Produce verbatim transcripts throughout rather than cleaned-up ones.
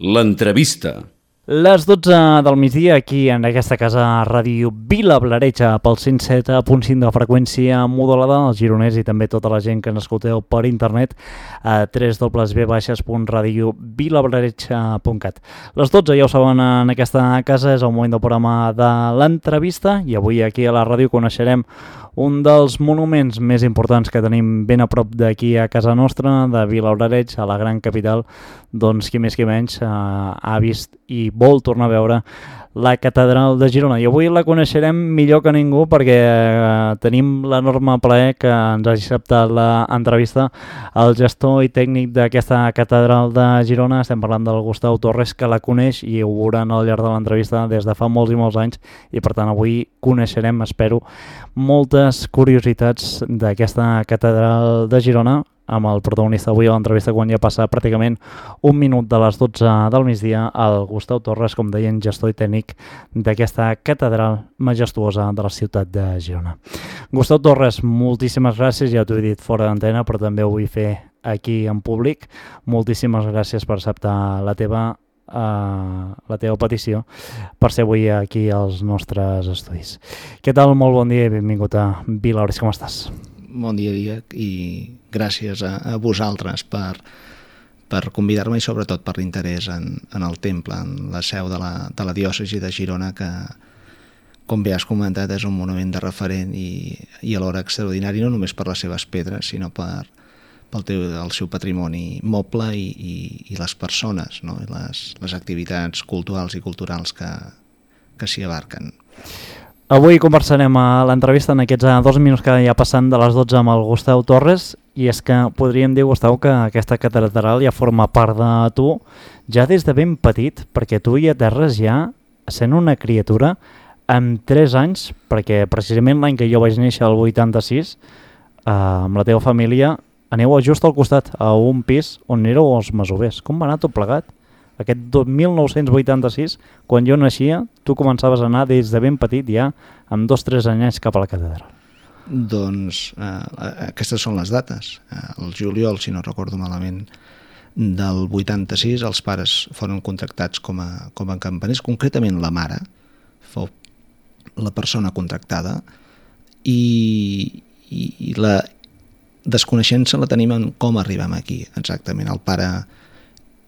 L'entrevista. Les dotze del migdia aquí en aquesta casa Ràdio Vilablareix pel cent set punt cinc de freqüència modulada, els gironers i també tota la gent que ens escolteu per internet a w w w punt radio vilablareix punt cat. Les dotze, ja ho saben, en aquesta casa és el moment del programa de l'entrevista i avui aquí a la ràdio coneixerem un dels monuments més importants que tenim ben a prop d'aquí a casa nostra, de Vilablareix, a la gran capital. Doncs qui més qui menys eh, ha vist i vol tornar a veure la catedral de Girona. I avui la coneixerem millor que ningú perquè eh, tenim l'enorme plaer que ens hagi acceptat l'entrevista el gestor i tècnic d'aquesta catedral de Girona. Estem parlant del Gustau Torres, que la coneix i ho veuran al llarg de l'entrevista des de fa molts i molts anys, i per tant avui coneixerem, espero, moltes curiositats d'aquesta catedral de Girona, amb el protagonista avui a l'entrevista quan ja passa pràcticament un minut de les dotze del migdia, el Gustau Torres, com deien, gestor i tècnic d'aquesta catedral majestuosa de la ciutat de Girona. Gustau Torres, moltíssimes gràcies, ja t'ho he dit fora d'antena, però també ho vull fer aquí en públic. Moltíssimes gràcies per acceptar la teva, uh, la teva petició per ser avui aquí als nostres estudis. Què tal? Molt bon dia i benvingut a Vilablareix, com estàs? Bon dia, Diec, i gràcies a, a vosaltres per, per convidar-me i sobretot per l'interès en, en el temple, en la seu de la, de la diòcesi de Girona, que, com bé has comentat, és un monument de referent i, i alhora extraordinari, no només per les seves pedres, sinó per, pel teu, el seu patrimoni moble i, i, i les persones, no? I les, les activitats culturals i culturals que, que s'hi abarquen. Avui conversarem a l'entrevista en aquests dos minuts que ja passen de les dotze amb el Gustau Torres, i és que podríem dir, Gustau, que aquesta catedral ja forma part de tu ja des de ben petit, perquè tu hi aterres ja sent una criatura amb tres anys, perquè precisament l'any que jo vaig néixer, el vuitanta-sis, eh, amb la teva família, aneu just al costat, a un pis on éreu els masovers. Com va anar tot plegat? Aquest mil nou-cents vuitanta-sis, quan jo naixia, tu començaves a anar des de ben petit ja, amb dos o tres anyets cap a la catedral. Doncs eh, aquestes són les dates. Eh, el juliol, si no recordo malament, del vuitanta-sis, els pares foren contractats com a, com a campaners, concretament la mare fou la persona contractada, i, i, i la desconeixença la tenim en com arribem aquí, exactament. El pare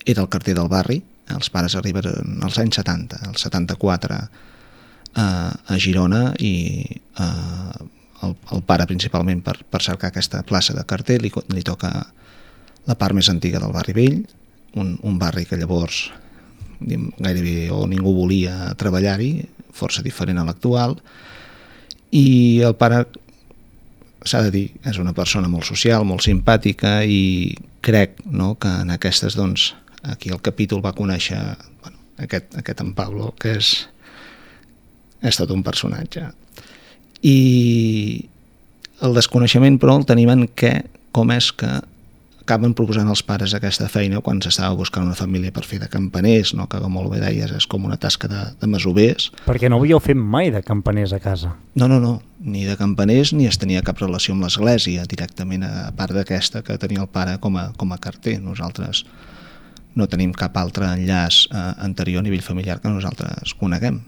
era el carter del barri, els pares arribaren als anys setanta, el setanta-quatre eh, a Girona, i eh, el, el pare principalment per, per cercar aquesta plaça de carter li, li toca la part més antiga del barri vell, un, un barri que llavors diguem, gairebé o ningú volia treballar-hi, força diferent a l'actual, i el pare, s'ha de dir, és una persona molt social, molt simpàtica, i crec, no, que en aquestes, doncs, aquí el capítol va conèixer bueno, aquest, aquest en Pablo, que és, és tot un personatge. I el desconeixement, però, el tenim en què, com és que acaben proposant els pares aquesta feina quan s'estava buscant una família per fer de campaners, no? Que com molt bé deies és com una tasca de, de masovers. Perquè no havíeu fet mai de campaners a casa. No, no, no, ni de campaners ni es tenia cap relació amb l'església directament, a part d'aquesta que tenia el pare com a, com a carter. Nosaltres no tenim cap altre enllaç eh, anterior a nivell familiar que nosaltres coneguem.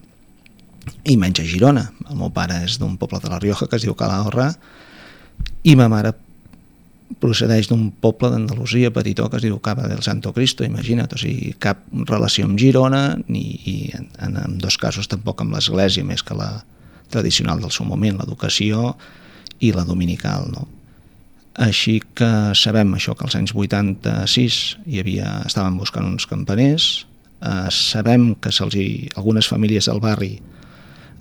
I menys a Girona. El meu pare és d'un poble de la Rioja que es diu Calahorra i ma mare procedeix d'un poble d'Andalusia petitó que es diu Cava del Santo Cristo, imagina't, o sigui, cap relació amb Girona ni, i en, en, en dos casos tampoc amb l'església, més que la tradicional del seu moment, l'educació i la dominical, no? Així que sabem això, que als anys vuitanta-sis hi havia, estaven buscant uns campaners, eh, sabem que se'ls hi, algunes famílies del barri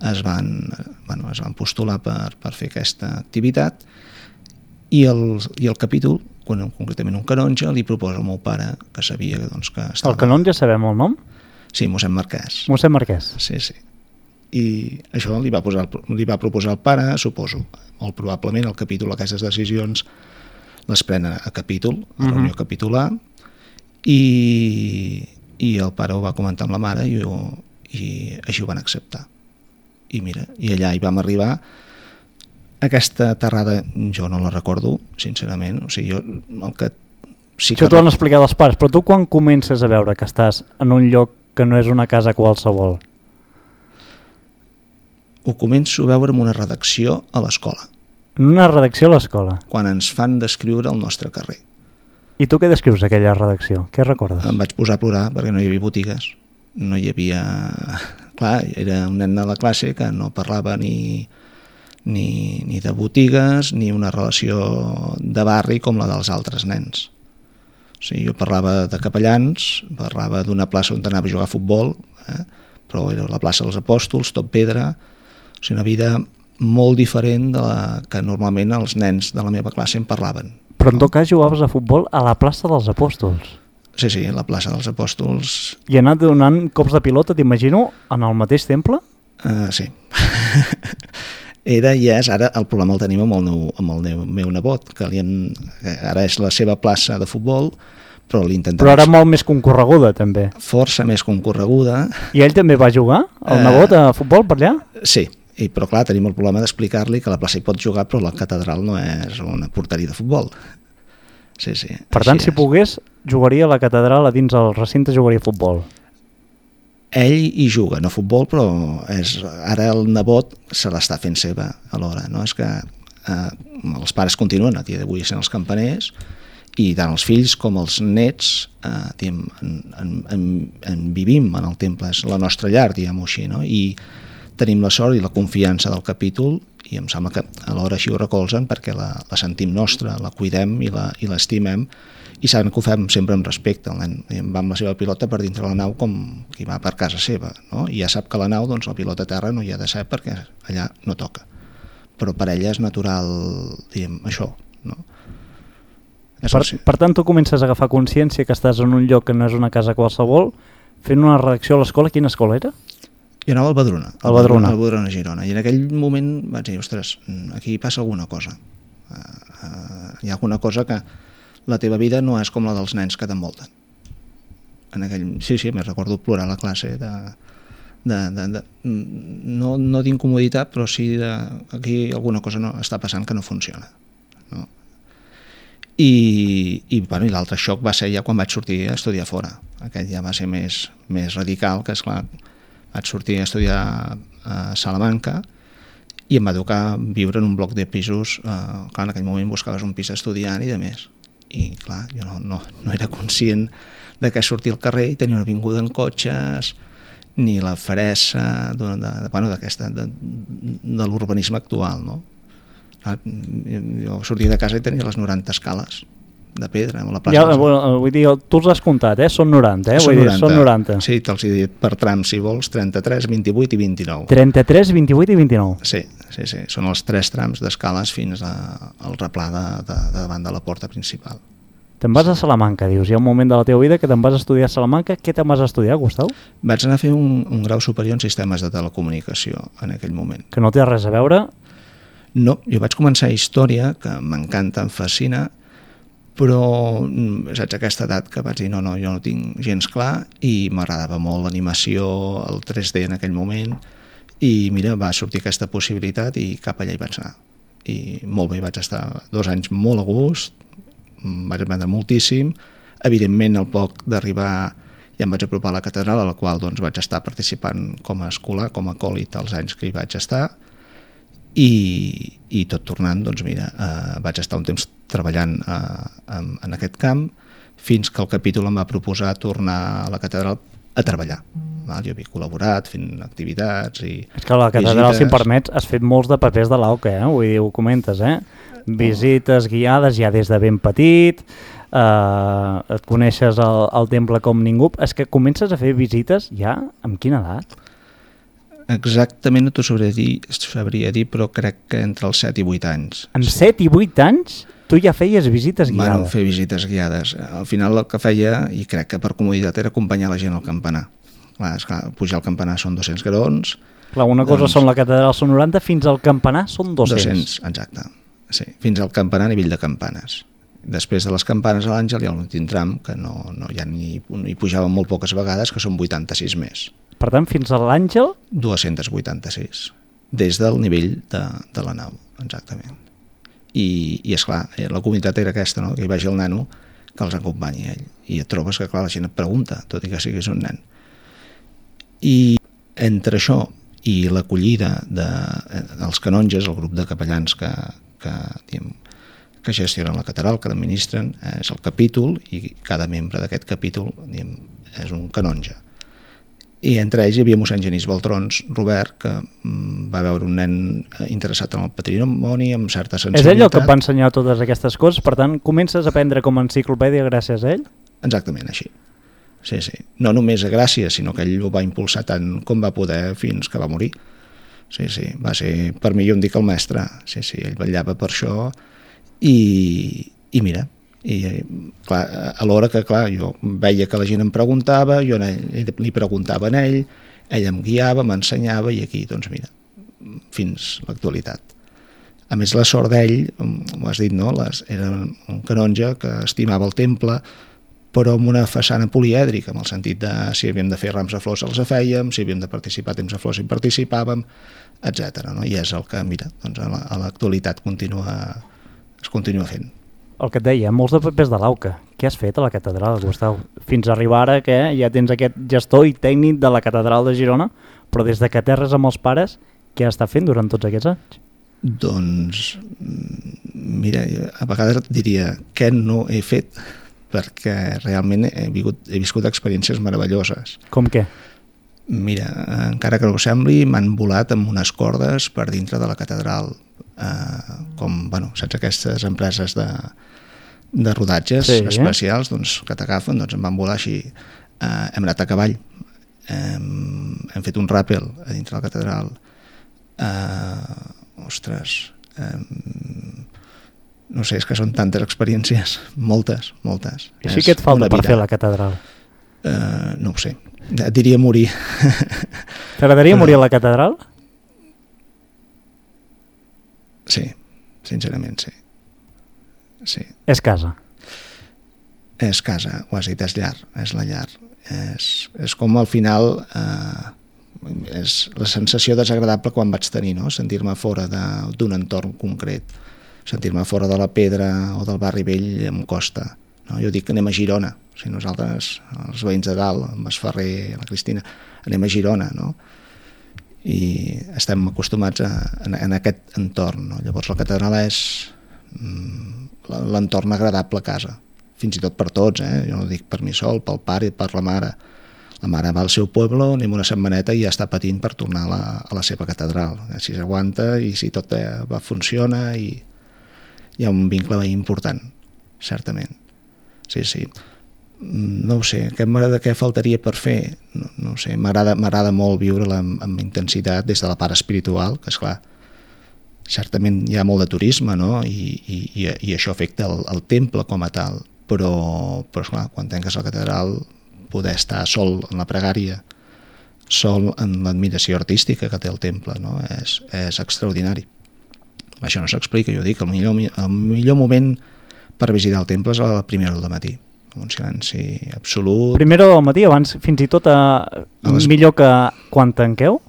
es van, bueno, es van postular per, per fer aquesta activitat, i el, i el capítol, quan, concretament un canonge, li proposa al meu pare, que sabia doncs, que estava... El canonge sabem el nom? Sí, mossèn Marquès. Mossèn Marquès. Sí, sí. I això li va, posar, li va proposar el pare, suposo. Molt probablement el capítol, aquestes decisions les pren a capítol, a uh-huh. reunió capitular, i, i el pare ho va comentar amb la mare i, ho, i així ho van acceptar. I mira, i allà hi vam arribar. Aquesta aterrada jo no la recordo, sincerament. O sigui, jo el que sí Això t'ho han explicat els pares, però tu quan comences a veure que estàs en un lloc que no és una casa qualsevol? Ho començo a veure en una redacció a l'escola. En una redacció a l'escola? Quan ens fan descriure el nostre carrer. I tu què descrius aquella redacció? Què recordes? Em vaig posar a plorar perquè no hi havia botigues. No hi havia... Clar, era un nen de la classe que no parlava ni, ni, ni de botigues ni una relació de barri com la dels altres nens. O sigui, jo parlava de capellans, parlava d'una plaça on anava a jugar a futbol, eh? Però era la plaça dels Apòstols, tot pedra. O sigui, una vida molt diferent de la que normalment els nens de la meva classe em parlaven. Però en tot cas jugaves a futbol a la plaça dels Apòstols. Sí, sí, la plaça dels Apòstols. I anat donant cops de pilota, t'imagino, en el mateix temple? Uh, sí. Era i és, ara el problema el tenim amb el, meu, amb el meu, meu nebot, que li han, ara és la seva plaça de futbol, però l'intentem... Però ara molt més concorreguda, també. Força més concorreguda. I ell també va jugar, el uh, nebot, a futbol per allà? Sí, i, però clar, tenim el problema d'explicar-li que la plaça hi pot jugar, però la catedral no és una porteria de futbol. Sí, sí. Per tant, si és. pogués, jugaria a la catedral a dins el recinte, jugaria a futbol. Ell hi juga, no a futbol, però és, ara el nebot se l'està fent seva alhora. No? És que eh, els pares continuen a dia d'avui sent els campaners i tant els fills com els nets eh, diguem, en, en, en, en vivim en el temple, és la nostra llar, diguem-ho així, no? I tenim la sort i la confiança del capítol i em sembla que alhora així ho recolzen perquè la, la sentim nostra, la cuidem i la, i l'estimem i saben que ho fem sempre amb respecte. El nen va amb la seva pilota per dintre la nau com qui va per casa seva, no? I ja sap que la nau, doncs la pilota a terra no hi ha de ser perquè allà no toca. Però per ella és natural, diguem, això, no? Per, per tant, tu comences a agafar consciència que estàs en un lloc que no és una casa qualsevol, fent una redacció a l'escola. Quina escola era? Jo anava al Badruna, al Badruna. al Badruna Girona, i en aquell moment vaig dir, ostres, aquí passa alguna cosa. Uh, uh, hi ha alguna cosa que la teva vida no és com la dels nens que t'envolten. En aquell... Sí, sí, me recordo plorar a la classe de... de, de, de no no d'incomoditat, però sí de... aquí alguna cosa no, està passant que no funciona. No? I, i, bueno, i l'altre xoc va ser ja quan vaig sortir a estudiar fora. Aquest ja va ser més, més radical, que esclar, vaig sortir a estudiar a Salamanca i em va tocar viure en un bloc de pisos. Eh, clar, en aquell moment buscaves un pis estudiant i de més. I clar, jo no, no, no era conscient de que sortir al carrer i tenir una avinguda en cotxes, ni la feressa de, de, de, bueno, d'aquesta, de, de l'urbanisme actual, no? Clar, jo sortia de casa i tenia les noranta escales de pedra a la plaça. Ja, bueno, vull dir, tu els has comptat, eh? Són noranta, eh? Són, vull noranta. Dir, són noranta. Sí, te'ls he dit per trams, si vols, trenta-tres, vint-i-vuit i vint-i-nou. trenta-tres, vint-i-vuit i vint-i-nou. Sí, sí, sí. Són els tres trams d'escales fins a, al replà de, de, de davant de la porta principal. Te'n vas a Salamanca, dius. Hi ha un moment de la teva vida que te'n vas a estudiar a Salamanca. Què te'n vas a estudiar, Gustau? Vaig anar a fer un, un grau superior en sistemes de telecomunicació en aquell moment. Que no té res a veure? No, jo vaig començar història, que m'encanta, em fascina, però saps aquesta edat que vaig dir no, no, jo no tinc gens clar i m'agradava molt l'animació, el tres D en aquell moment i mira, va sortir aquesta possibilitat i cap allà hi vaig anar. I molt bé, vaig estar dos anys molt a gust, vaig aprendre moltíssim, evidentment al poc d'arribar ja em vaig apropar a la catedral, a la qual doncs, vaig estar participant com a escolar, com a acòlit els anys que hi vaig estar. I, i tot tornant, doncs mira, eh, vaig estar un temps treballant eh, en, en aquest camp fins que el capítol em va proposar tornar a la catedral a treballar. Val? Jo havia col·laborat fent activitats i és que a la catedral, visites. Si em permets, has fet molts de papers de l'A O C, eh? Vull dir, ho comentes, eh? Visites guiades ja des de ben petit, eh, et coneixes el, el temple com ningú. És que comences a fer visites ja amb quina edat? Exactament no t'ho sabria dir, sabria dir, però crec que entre els set i vuit anys. Amb sí. set i vuit anys tu ja feies visites guiades? Bueno, fer visites guiades. Al final el que feia, i crec que per comoditat, era acompanyar la gent al campanar. Clar, esclar, pujar al campanar són dos-cents graons. Clar, una cosa doncs, són la catedral, són noranta, fins al campanar són dos-cents. dos-cents, exacte. Sí, fins al campanar a nivell de campanes. Després de les campanes a l'Àngel hi ha l'últim tram, que no, no, ja ni, hi pujàvem molt poques vegades, que són vuitanta-sis més. Per tant, fins a l'Àngel? dos-cents vuitanta-sis, des del nivell de, de la nau, exactament. I, i esclar, la comunitat era aquesta, no? Que hi vagi el nano, que els acompanyi ell. I et trobes que, clar, la gent et pregunta, tot i que siguis un nen. I entre això i l'acollida de, dels canonges, el grup de capellans que, que, diguem, que gestionen la catedral, que l'administren, és el capítol, i cada membre d'aquest capítol, diguem, és un canonge. I entre ells hi havia mossèn Genís Baltrons, Robert, que va veure un nen interessat en el patrimoni, amb certa sensibilitat. És ell el que et va ensenyar totes aquestes coses? Per tant, comences a aprendre com a enciclopèdia gràcies a ell? Exactament, així. Sí, sí. No només a gràcies, sinó que ell ho va impulsar tant com va poder fins que va morir. Sí, sí. Va ser, per mi, jo em dic el mestre. Sí, sí. Ell vetllava per això i, i mira, i clar, alhora que, clar, jo veia que la gent em preguntava, jo ell, li preguntava a ell, ell em guiava, m'ensenyava i aquí, doncs mira, fins l'actualitat. A més, la sort d'ell, ho has dit, no? Les, era un canonge que estimava el temple, però amb una façana polièdrica, en el sentit de si havíem de fer rams de flors els fèiem, si havíem de participar a temps de flors hi participàvem, etcètera. No? I és el que, mira, doncs a l'actualitat continua, es continua fent. El que et deia, molts de papers de l'Auca. Què has fet a la catedral, Gustau? Fins a arribar ara que ja tens aquest gestor i tècnic de la catedral de Girona, però des de que aterres amb els pares, què has estat fent durant tots aquests anys? Doncs, mira, a vegades et diria què no he fet, perquè realment he, vingut, he viscut experiències meravelloses. Com què? Mira, encara que no ho sembli, m'han volat amb unes cordes per dintre de la catedral, eh, com, bueno, saps aquestes empreses de, de rodatges sí, especials, doncs, que t'agafen, doncs em van volar així. Eh, hem anat a cavall, hem, hem fet un ràpel a dintre de la catedral, eh, ostres, eh, no sé, és que són tantes experiències, moltes, moltes. I així què et falta per fer la catedral? Uh, no ho sé, et diria morir. T'agradaria morir a la catedral? Sí, sincerament sí. Sí. És casa. És casa, ho has dit, és llar, és la llar. És, és com al final, eh, és la sensació desagradable quan vaig tenir, no? Sentir-me fora d'un entorn concret. Sentir-me fora de la Pedra o del barri vell em costa. No? Jo dic que anem a Girona. O sigui, nosaltres, els veïns de dalt, amb el Ferrer, la Cristina, anem a Girona, no? I estem acostumats a, a, a aquest entorn. No? Llavors la catedral és mm, l'entorn agradable a casa. Fins i tot per tots, eh? Jo no dic per mi sol, pel pare i per la mare. La mare va al seu poble, anem una setmaneta i ja està patint per tornar a la, a la seva catedral. Si s'aguanta i si tot va, funciona i hi ha un vincle important, certament. Sí, sí. No ho sé, què m'agrada, què faltaria per fer? No, no ho sé, m'agrada molt viure-la amb, amb intensitat des de la part espiritual, que esclar, certament hi ha molt de turisme, no? I, i, i això afecta el, el temple com a tal, però, però esclar, quan tanques la catedral, poder estar sol en la pregària, sol en l'admiració artística que té el temple, no? És, és extraordinari. Això no s'explica, jo dic, el millor, el millor moment per visitar el temple és a la primera hora del matí, un silenci absolut. Primera hora del matí, abans fins i tot a... a les... millor que quan tanqueu?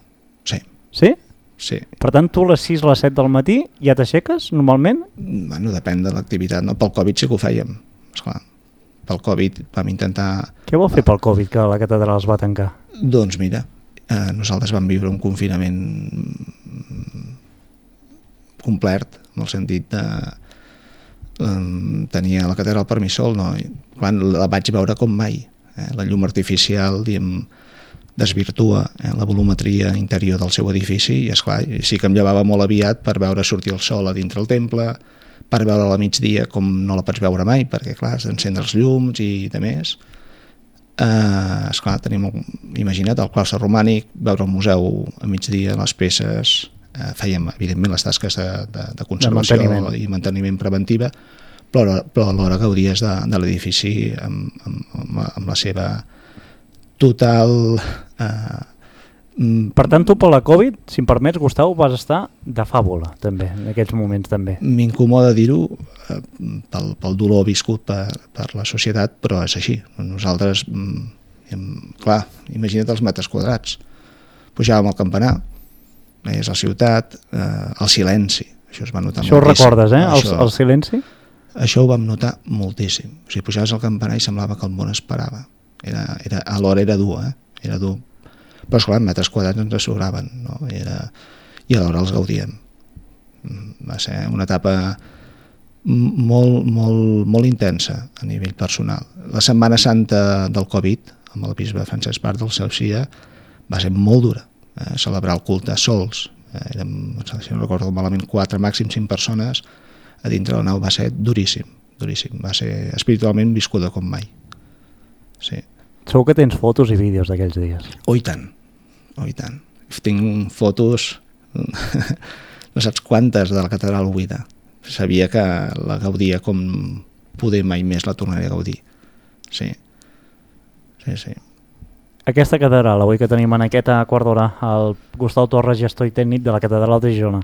Sí. Sí? Sí. Per tant, tu a les sis o les set del matí ja t'aixeques, normalment? Bueno, depèn de l'activitat, no? Pel Covid sí que ho fèiem, esclar. Pel Covid vam intentar... Què vol fer pel Covid que la catedral es va tancar? Doncs mira, eh, nosaltres vam viure un confinament complet, en el sentit de um, tenia la catedral per mi sol, no? I quan la vaig veure com mai, eh? La llum artificial, diguem, desvirtua eh? la volumetria interior del seu edifici i esclar, sí que em llevava molt aviat per veure sortir el sol a dintre el temple, per veure-la a migdia com no la pots veure mai, perquè clar, has d'encendre els llums i de més. Eh, esclar, tenim, imagina't, el claustre romànic, veure el museu a migdia, les peces... Eh, fèiem, evidentment, les tasques de, de, de conservació de manteniment. I manteniment preventiva, però, però alhora gaudies de, de l'edifici amb, amb, amb la seva total... Eh, per tant, tu per la Covid, si em permets, Gustau, vas estar de fàbula, també, en aquests moments també. M'incomoda dir-ho eh, pel, pel dolor viscut per, per la societat, però és així. Nosaltres, hem, clar, imagina't els metres quadrats. Pujàvem al campanar, és la ciutat, eh, el silenci. Això es va notar Això ho recordes, eh? El, el silenci? Això ho vam notar moltíssim. O sigui, pujaves al campanar i semblava que el món es parava. Era, era, alhora era dur, eh? Era dur. Però, esclar, metres quadrats ens sobraven, no? I, era, i alhora els gaudíem. Va ser una etapa molt, molt, molt intensa a nivell personal. La Setmana Santa del Covid, amb el bisbe Francesc Part del Saucia, va ser molt dura. Eh? Celebrar el culte sols. Eh? Érem, si no recordo malament, quatre, màxim cinc persones a dintre la nau. Va ser duríssim, duríssim. Va ser espiritualment viscuda com mai. Sí. Segur que tens fotos i vídeos d'aquells dies. Oh, i tant, oh, i tant. Tinc fotos, no saps quantes, de la catedral buida. Sabia que la gaudia com poder mai més la tornaré a gaudir. Sí, sí, sí. Aquesta catedral, avui que tenim en aquesta quart d'hora, el Gustau Torres, gestor i tècnic de la catedral de Girona.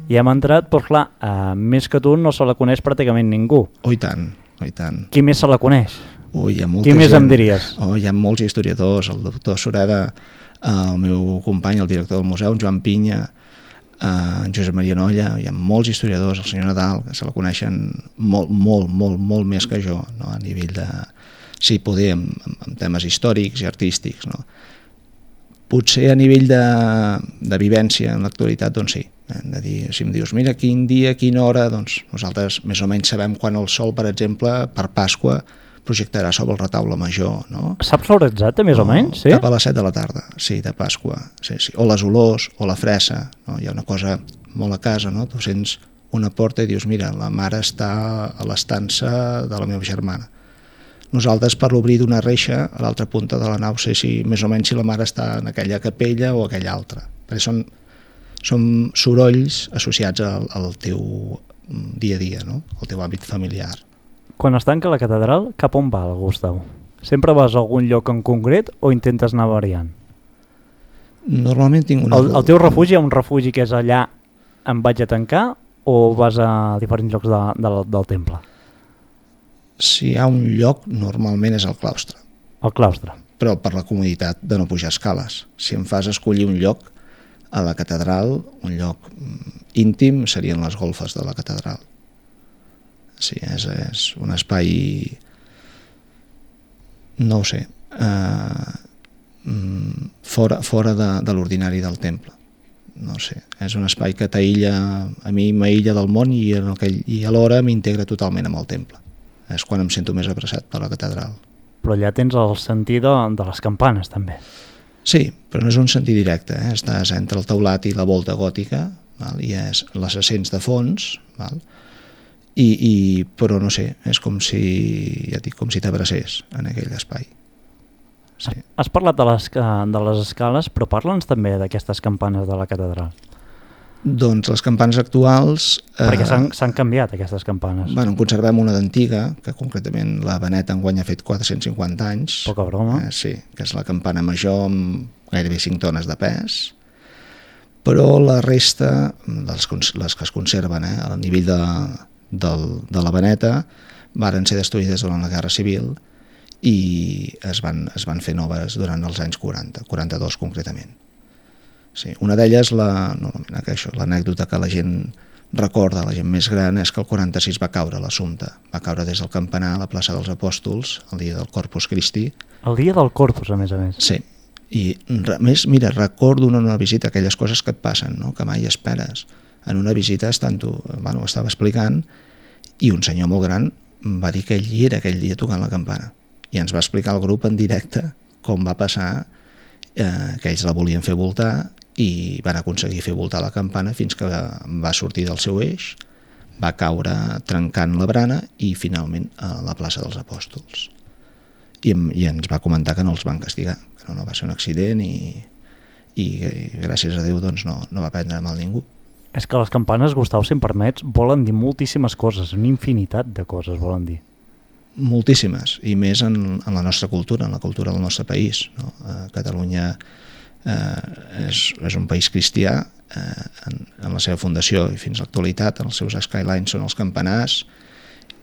I hem entrat, però clar, eh, més que tu no se la coneix pràcticament ningú. Oh, i tant, oh, i tant. Qui més se la coneix? Ui, hi ha molta Qui més gent. em diries? Oh, hi ha molts historiadors, el doctor Sureda, el meu company, el director del museu, en Joan Pinya, en Josep Maria Nolla, hi ha molts historiadors, el senyor Nadal, que se la coneixen molt, molt, molt, molt més que jo, no? A nivell de, sí, poder, amb, amb temes històrics i artístics, no? Potser a nivell de, de vivència en l'actualitat, doncs sí. Hem de dir, si em dius, mira, quin dia, quina hora, doncs nosaltres més o menys sabem quan el sol, per exemple, per Pasqua, projectarà sobre el retaule major, no? Saps l'hora exacta, més o, o menys? Sí? Cap a les set de la tarda, sí, de Pasqua. Sí, sí. O les olors, o la fressa, no? Hi ha una cosa molt a casa, no? Tu sents una porta i dius, mira, la mare està a l'estança de la meva germana. Nosaltres, per l'obrir d'una reixa, a l'altra punta de la nau, sé si més o menys si la mare està en aquella capella o aquella altra. Perquè són, són sorolls associats al, al teu dia a dia, no? Al teu hàbit familiar. Quan es tanca la catedral, cap on va el Gustau? Sempre vas a algun lloc en concret o intentes anar variant? Normalment tinc una... El, el teu refugi, hi ha un refugi que és allà em vaig a tancar o vas a diferents llocs de, de, del temple? Si hi ha un lloc, normalment és el claustre. El claustre. Però per la comoditat de no pujar escales. Si em fas escollir un lloc a la catedral, un lloc íntim, serien les golfes de la catedral. Sí, és, és un espai, no ho sé, eh, fora, fora de, de l'ordinari del temple. No ho sé, és un espai que t'aïlla, a mi m'aïlla del món i, en aquell, i alhora m'integra totalment amb el temple. És quan em sento més abraçat per la catedral. Però allà tens el sentit de, de les campanes, també. Sí, però no és un sentit directe. Eh? Estàs entre el teulat i la volta gòtica, val? I és les ascens de fons, val? I, i, però no sé, és com si, ja dic, com si t'abracés en aquell espai. Sí. Has parlat de les, de les escales, però parla'ns també d'aquestes campanes de la catedral. Doncs les campanes actuals... Perquè eh, s'han canviat aquestes campanes. Bueno, en conservem una d'antiga, que concretament la Benet enguany ha fet quatre-cents cinquanta anys. Poca broma. Eh, sí, que és la campana major amb gairebé cinc tones de pes. Però la resta, les, les que es conserven eh, a nivell de, del, de la Beneta, varen ser destruïdes durant la Guerra Civil i es van, es van fer noves durant els anys quaranta, quaranta-dos concretament. Sí, una d'elles, la, no, l'anècdota que la gent recorda, la gent més gran, és que el quaranta-sis va caure l'Assumpte. Va caure des del campanar a la plaça dels Apòstols, el dia del Corpus Christi. El dia del Corpus, a més a més. Sí, i a més, mira, recordo en una visita aquelles coses que et passen, no? Que mai esperes. En una visita, estant tu, bueno, estava explicant, i un senyor molt gran va dir que ell hi era aquell dia tocant la campana. I ens va explicar al grup en directe com va passar, eh, que ells la volien fer voltar, i van aconseguir fer voltar la campana fins que va sortir del seu eix, va caure trencant la brana i finalment a la plaça dels Apòstols. I, i ens va comentar que no els van castigar, que no, no va ser un accident i, i, i gràcies a Déu doncs, no, no va prendre mal ningú. És que les campanes, Gustau, si em permets, volen dir moltíssimes coses, una infinitat de coses volen dir. Moltíssimes, i més en, en la nostra cultura, en la cultura del nostre país. No? A Catalunya eh, és, és un país cristià, eh, en, en la seva fundació i fins a l'actualitat, en els seus skylines són els campanars,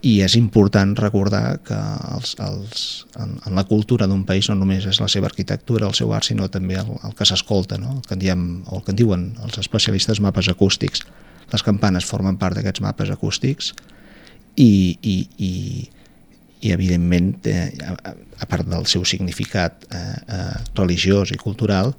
i és important recordar que els, els, en, en la cultura d'un país no només és la seva arquitectura, el seu art, sinó també el, el que s'escolta, no? el, que en diem, o el que en diuen els especialistes mapes acústics. Les campanes formen part d'aquests mapes acústics i, i, i, i evidentment, eh, a, a part del seu significat eh, eh, religiós i cultural,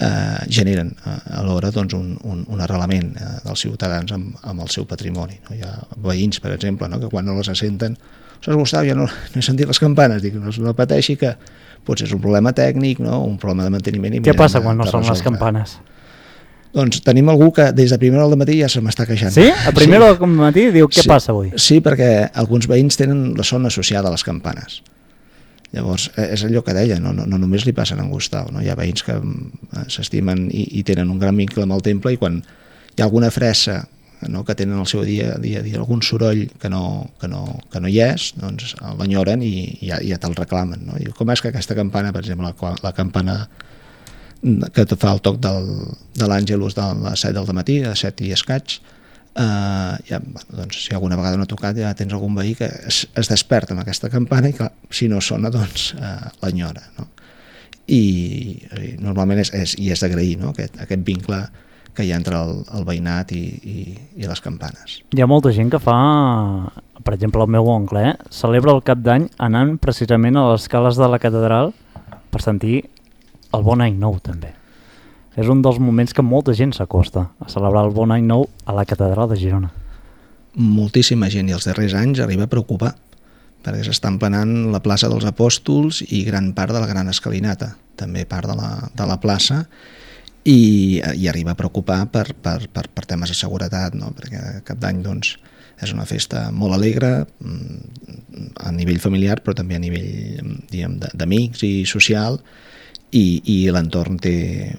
eh, generen eh, alhora doncs, un, un, un arrelament eh, dels ciutadans amb, amb el seu patrimoni. No? Hi ha veïns, per exemple, no? que quan no les senten, ostres, Gustau, ja no, no he sentit les campanes, dic, no, no pateixi que potser és un problema tècnic, no? Un problema de manteniment. I què passa de, quan no de són les resoldre. campanes? Doncs tenim algú que des de primera hora del matí ja se m'està queixant. Sí? A primera hora del matí diu què sí, passa avui? Sí, perquè alguns veïns tenen la son associada a les campanes. Llavors, és allò que deia, no, no, no només li passen a en Gustau, no? Hi ha veïns que s'estimen i, i tenen un gran vincle amb el temple, i quan hi ha alguna fressa, no, que tenen el seu dia a dia, dia algun soroll que no, que no, que no hi és, doncs l'enyoren i, i ja, ja te'l reclamen. No? I com és que aquesta campana, per exemple, la, la campana que te fa el toc del, de l'Àngelus de les set del matí, a set i escaig, eh, ja, doncs, si alguna vegada no ha tocat, ja tens algun veí que es, es desperta amb aquesta campana i, clar, si no sona, doncs eh, l'enyora. No? I, i normalment és, és, i és d'agrair, no? aquest, aquest vincle que hi ha entre el, el veïnat i, i, i les campanes. Hi ha molta gent que fa, per exemple, el meu oncle, eh? celebra el cap d'any anant precisament a les escales de la catedral per sentir el bon any nou, també. És un dels moments que molta gent s'acosta a celebrar el bon any nou a la catedral de Girona. Moltíssima gent, i els darrers anys arriba a preocupar, perquè s'està emplenant la plaça dels Apòstols i gran part de la Gran Escalinata, també part de la, de la plaça, i, i arriba a preocupar per, per, per, per temes de seguretat, no? Perquè cap d'any doncs, és una festa molt alegre a nivell familiar, però també a nivell, diguem, d'amics i social, i, i l'entorn té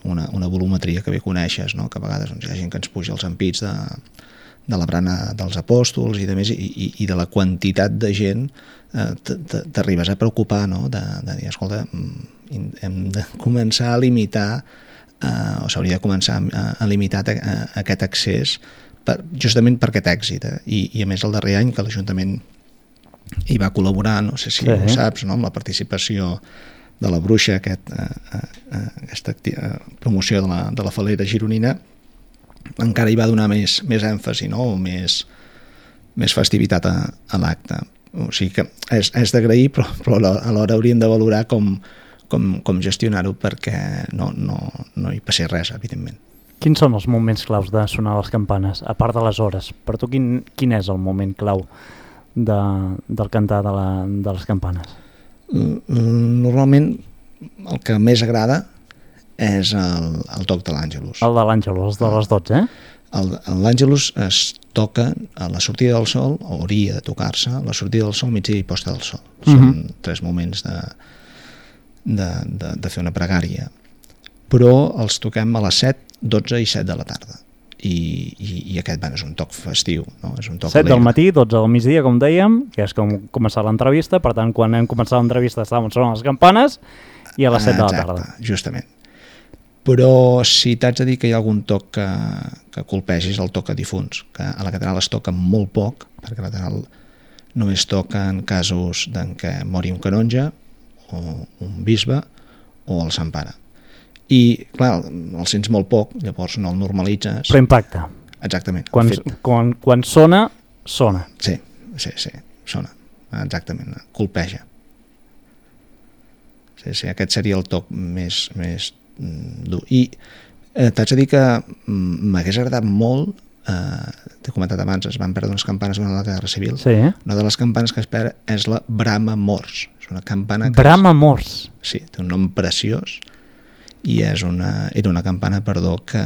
una, una volumetria que bé coneixes, no? Que a vegades doncs, hi ha gent que ens puja els ampits de, de la brana dels Apòstols i de més, i, i, i de la quantitat de gent eh, t'arribes a preocupar, no? de, de dir, escolta, hem de començar a limitar eh, o s'hauria de començar a, a limitar a, a aquest accés per, justament per aquest èxit, eh? I, i a més el darrer any que l'Ajuntament hi va col·laborar, no sé si sí. ho saps, no? Amb la participació de la Bruixa, aquest, eh, eh, aquesta eh, promoció de la, de la falera gironina, encara hi va donar més, més èmfasi, no? O més, més festivitat a, a l'acte. O sigui que és, és d'agrair, però, però alhora hauríem de valorar com, com, com gestionar-ho perquè no, no, no hi passi res, evidentment. Quins són els moments claus de sonar les campanes, a part de les hores? Per tu, quin, quin és el moment clau de, del cantar de, la, de les campanes? Normalment el que més agrada és el, el toc de l'Àngelus. El de l'Àngelus, de les dotze, eh? L'Àngelus es toca a la sortida del sol, o hauria de tocar-se, a la sortida del sol, migdia i posta del sol. Són uh-huh. tres moments de, de, de, de fer una pregària. Però els toquem a les set, dotze i set de la tarda. I, i, i aquest bueno, és un toc festiu, no? És un toc set alegre. Del matí, dotze del migdia, com dèiem, que és com començar l'entrevista, per tant, quan hem començat l'entrevista estàvem sonant les campanes, i a les set de la tarda. Exacte, justament. Però si t'haig de dir que hi ha algun toc que, que colpegis, el toc a difunts, que a la catedral es toca molt poc, perquè a la catedral només toca en casos en què mori un canonge, o un bisbe, o el Sant Pare. I, clar, el sents molt poc, llavors no el normalitzes. Però impacta. Exactament. Quan, quan, quan sona, sona. Sí, sí, sí, sona. Exactament, colpeja. Sí, sí, aquest seria el toc més, més dur. I eh, t'haig de dir que m'hagués agradat molt, eh, t'he comentat abans, es van perdre unes campanes durant la Guerra Civil. Sí. Una de les campanes que es perd és la Brama Mors. És una campana que Brama Mors? Sí, té un nom preciós. I és una, era una campana, perdó, que,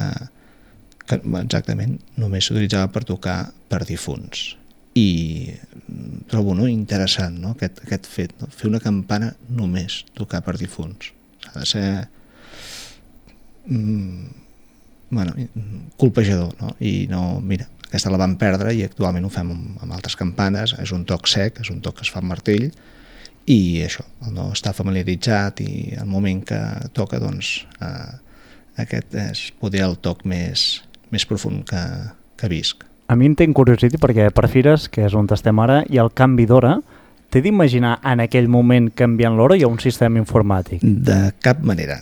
que exactament només s'utilitzava per tocar per difunts. I trobo no, interessant, no? Aquest, aquest fet, no? Fer una campana només tocar per difunts. Ha de ser mm, bueno, colpejador, no? I no, mira, aquesta la vam perdre i actualment ho fem amb, amb altres campanes. És un toc sec, és un toc que es fa amb martell, i això, el no estar familiaritzat i el moment que toca, doncs eh, aquest és poder el toc més, més profund que, que visc. A mi em té curiositat perquè per Fires, que és on estem ara, i el canvi d'hora, t'he d'imaginar en aquell moment canviant l'hora i hi ha un sistema informàtic? De cap manera.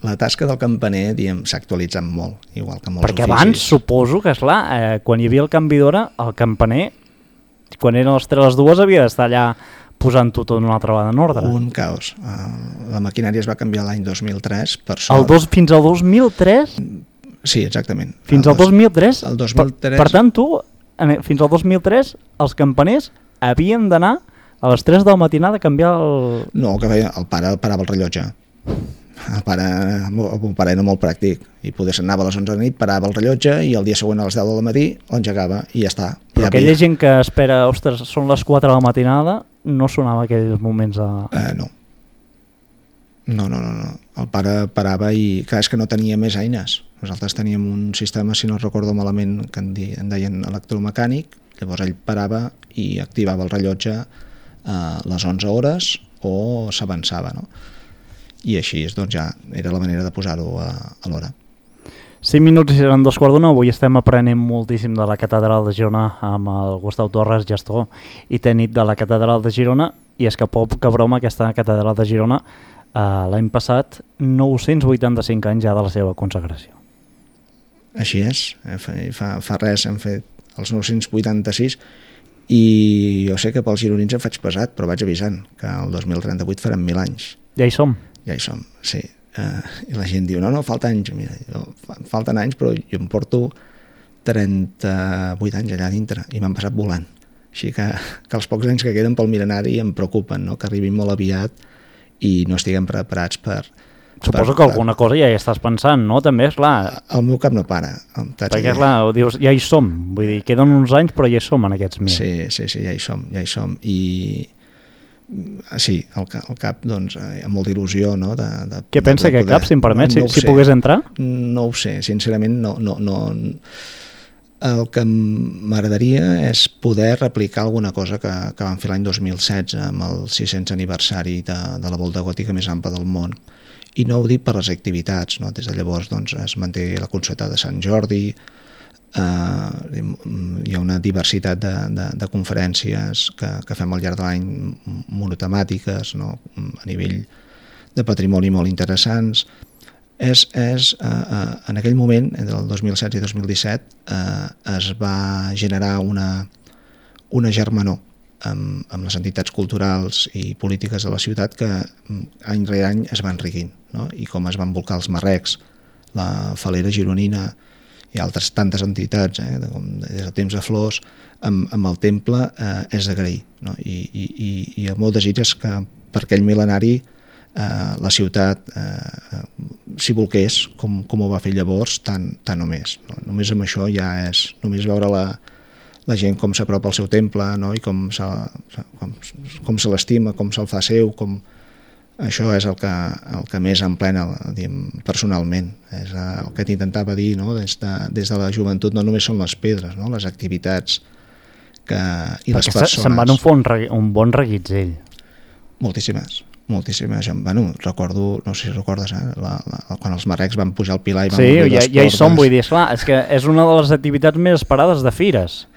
La tasca del campaner, diguem, s'ha actualitzat molt, igual que molts perquè oficis. Abans suposo que, esclar, eh, quan hi havia el canvi d'hora, el campaner quan eren les tres a les dues havia d'estar allà posant-ho tot una altra vegada en ordre. Un caos. Uh, la maquinària es va canviar l'any dos mil tres, per sort. El dos, fins al dos mil tres? Sí, exactament. Fins al dos mil tres? El dos mil tres... Per, per tant, tu, en, fins al dos mil tres, els campaners havien d'anar a les tres de la matinada a canviar el... No, que feia, el pare el parava el rellotge. El pare, el pare era molt pràctic i poder s'anava a les onze de la nit, parava el rellotge i el dia següent a les deu del matí l'engegava i ja està. Però ja aquella havia... gent que espera, ostres, són les quatre de la matinada, no sonava aquells moments a... Uh, no. No, no, no, no. El pare parava i, clar, és que no tenia més eines. Nosaltres teníem un sistema, si no recordo malament, que en, di, en deien electromecànic, llavors ell parava i activava el rellotge a les onze hores o s'avançava, no? I així doncs, ja era la manera de posar-ho a, a l'hora. cinc minuts i seran dos quarts d'una. Avui estem aprenent moltíssim de la Catedral de Girona amb el Gustau Torres, gestor i tècnic de la Catedral de Girona, i és que poca broma, aquesta Catedral de Girona eh, l'any passat nou-cents vuitanta-cinc anys ja de la seva consagració. Així és, fa, fa res hem fet els nou-cents vuitanta-sis i jo sé que pels gironins em faig pesat, però vaig avisant que el dos mil trenta-vuit faran mil anys. Ja hi som. Ja hi som, sí. Uh, I la gent diu, no, no, falta anys. Mira, jo, falten anys, però jo em porto trenta-vuit anys allà dintre i m'han passat volant. Així que, que els pocs anys que queden pel mil·lenari em preocupen, no? Que arribin molt aviat i no estiguem preparats per... Suposo per, que alguna cosa ja hi estàs pensant, no? També, esclar... El meu cap no para. Perquè, esclar, dius, ja hi som. Vull dir, queden uns anys, però ja hi som en aquests mil. Sí, sí, sí, ja hi som, ja hi som. I... Sí, el, el cap, doncs, amb molta il·lusió, no? De, de, Què pensa aquest cap, si em permet, no, no si, si pogués entrar? No ho sé, sincerament, no... no, no el que m'agradaria és poder replicar alguna cosa que, que vam fer l'any dos mil setze amb el sis-cents aniversari de, de la volta gòtica més ampla del món. I no ho dic per les activitats, no? Des de llavors doncs, es manté la Concertada de Sant Jordi, eh, hi ha una diversitat de, de, de conferències que, que fem al llarg de l'any monotemàtiques, no? A nivell de patrimoni molt interessants. És, és eh, eh, en aquell moment, entre el dos mil setze i dos mil disset, eh, es va generar una, una germanor amb, amb les entitats culturals i polítiques de la ciutat que any rere any es va enriquint, no? I com es van volcar els marrecs, la Falera Gironina i altres tantes entitats, eh, de, com, des de temps de flors, amb, amb el temple eh, és d'agrair, no? I, i, i el meu desig és que per aquell mil·lenari eh, la ciutat eh, s'hi volqués com, com ho va fer llavors, tant, tant o més. No? Només amb això ja és, només veure la, la gent com s'apropa al seu temple, no? I com se, com, com se l'estima, com se'l fa seu, com... Això és el que, el que més em plena, diguem, personalment. És el que t'intentava dir, no? Des de, des de la joventut no només són les pedres, no? Les activitats que, i perquè les persones. Se'n van un, un, un bon reguitzell. Moltíssimes, moltíssimes. Bueno, recordo, no sé si recordes, eh? la, la, quan els marrecs van pujar al Pilar i van sí, obrir ja, les ja hi portes. som, vull dir, esclar, és que és una de les activitats més esperades de fires,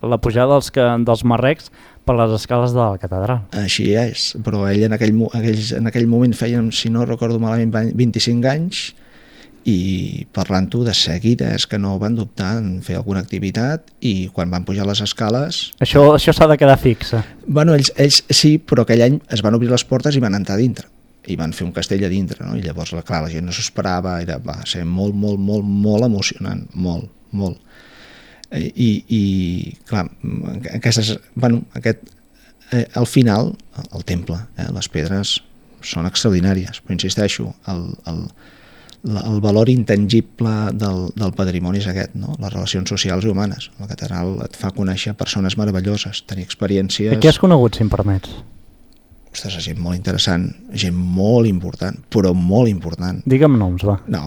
la pujada dels, que, dels marrecs per les escales de la catedral. Així és, però ell en aquell, aquells, en aquell moment feien, si no recordo malament, vint-i-cinc anys, i parlant-ho de seguida és que no van dubtar en fer alguna activitat, i quan van pujar les escales... Això, això s'ha de quedar fixa. Bueno, ells, ells sí, però aquell any es van obrir les portes i van entrar dintre, i van fer un castell a dintre, no? I llavors, clar, la gent no s'ho esperava, era, va ser molt, molt, molt, molt emocionant, molt, molt. I, i clar, aquestes, bueno, aquest, eh, al final el temple, eh, les pedres són extraordinàries, però insisteixo, el, el, el valor intangible del, del patrimoni és aquest, no? Les relacions socials i humanes. La catedral et fa conèixer persones meravelloses, tenir experiències... Què has conegut, si em permets? Ostres, gent molt interessant, gent molt important, però molt important. Digue'm noms, va. No.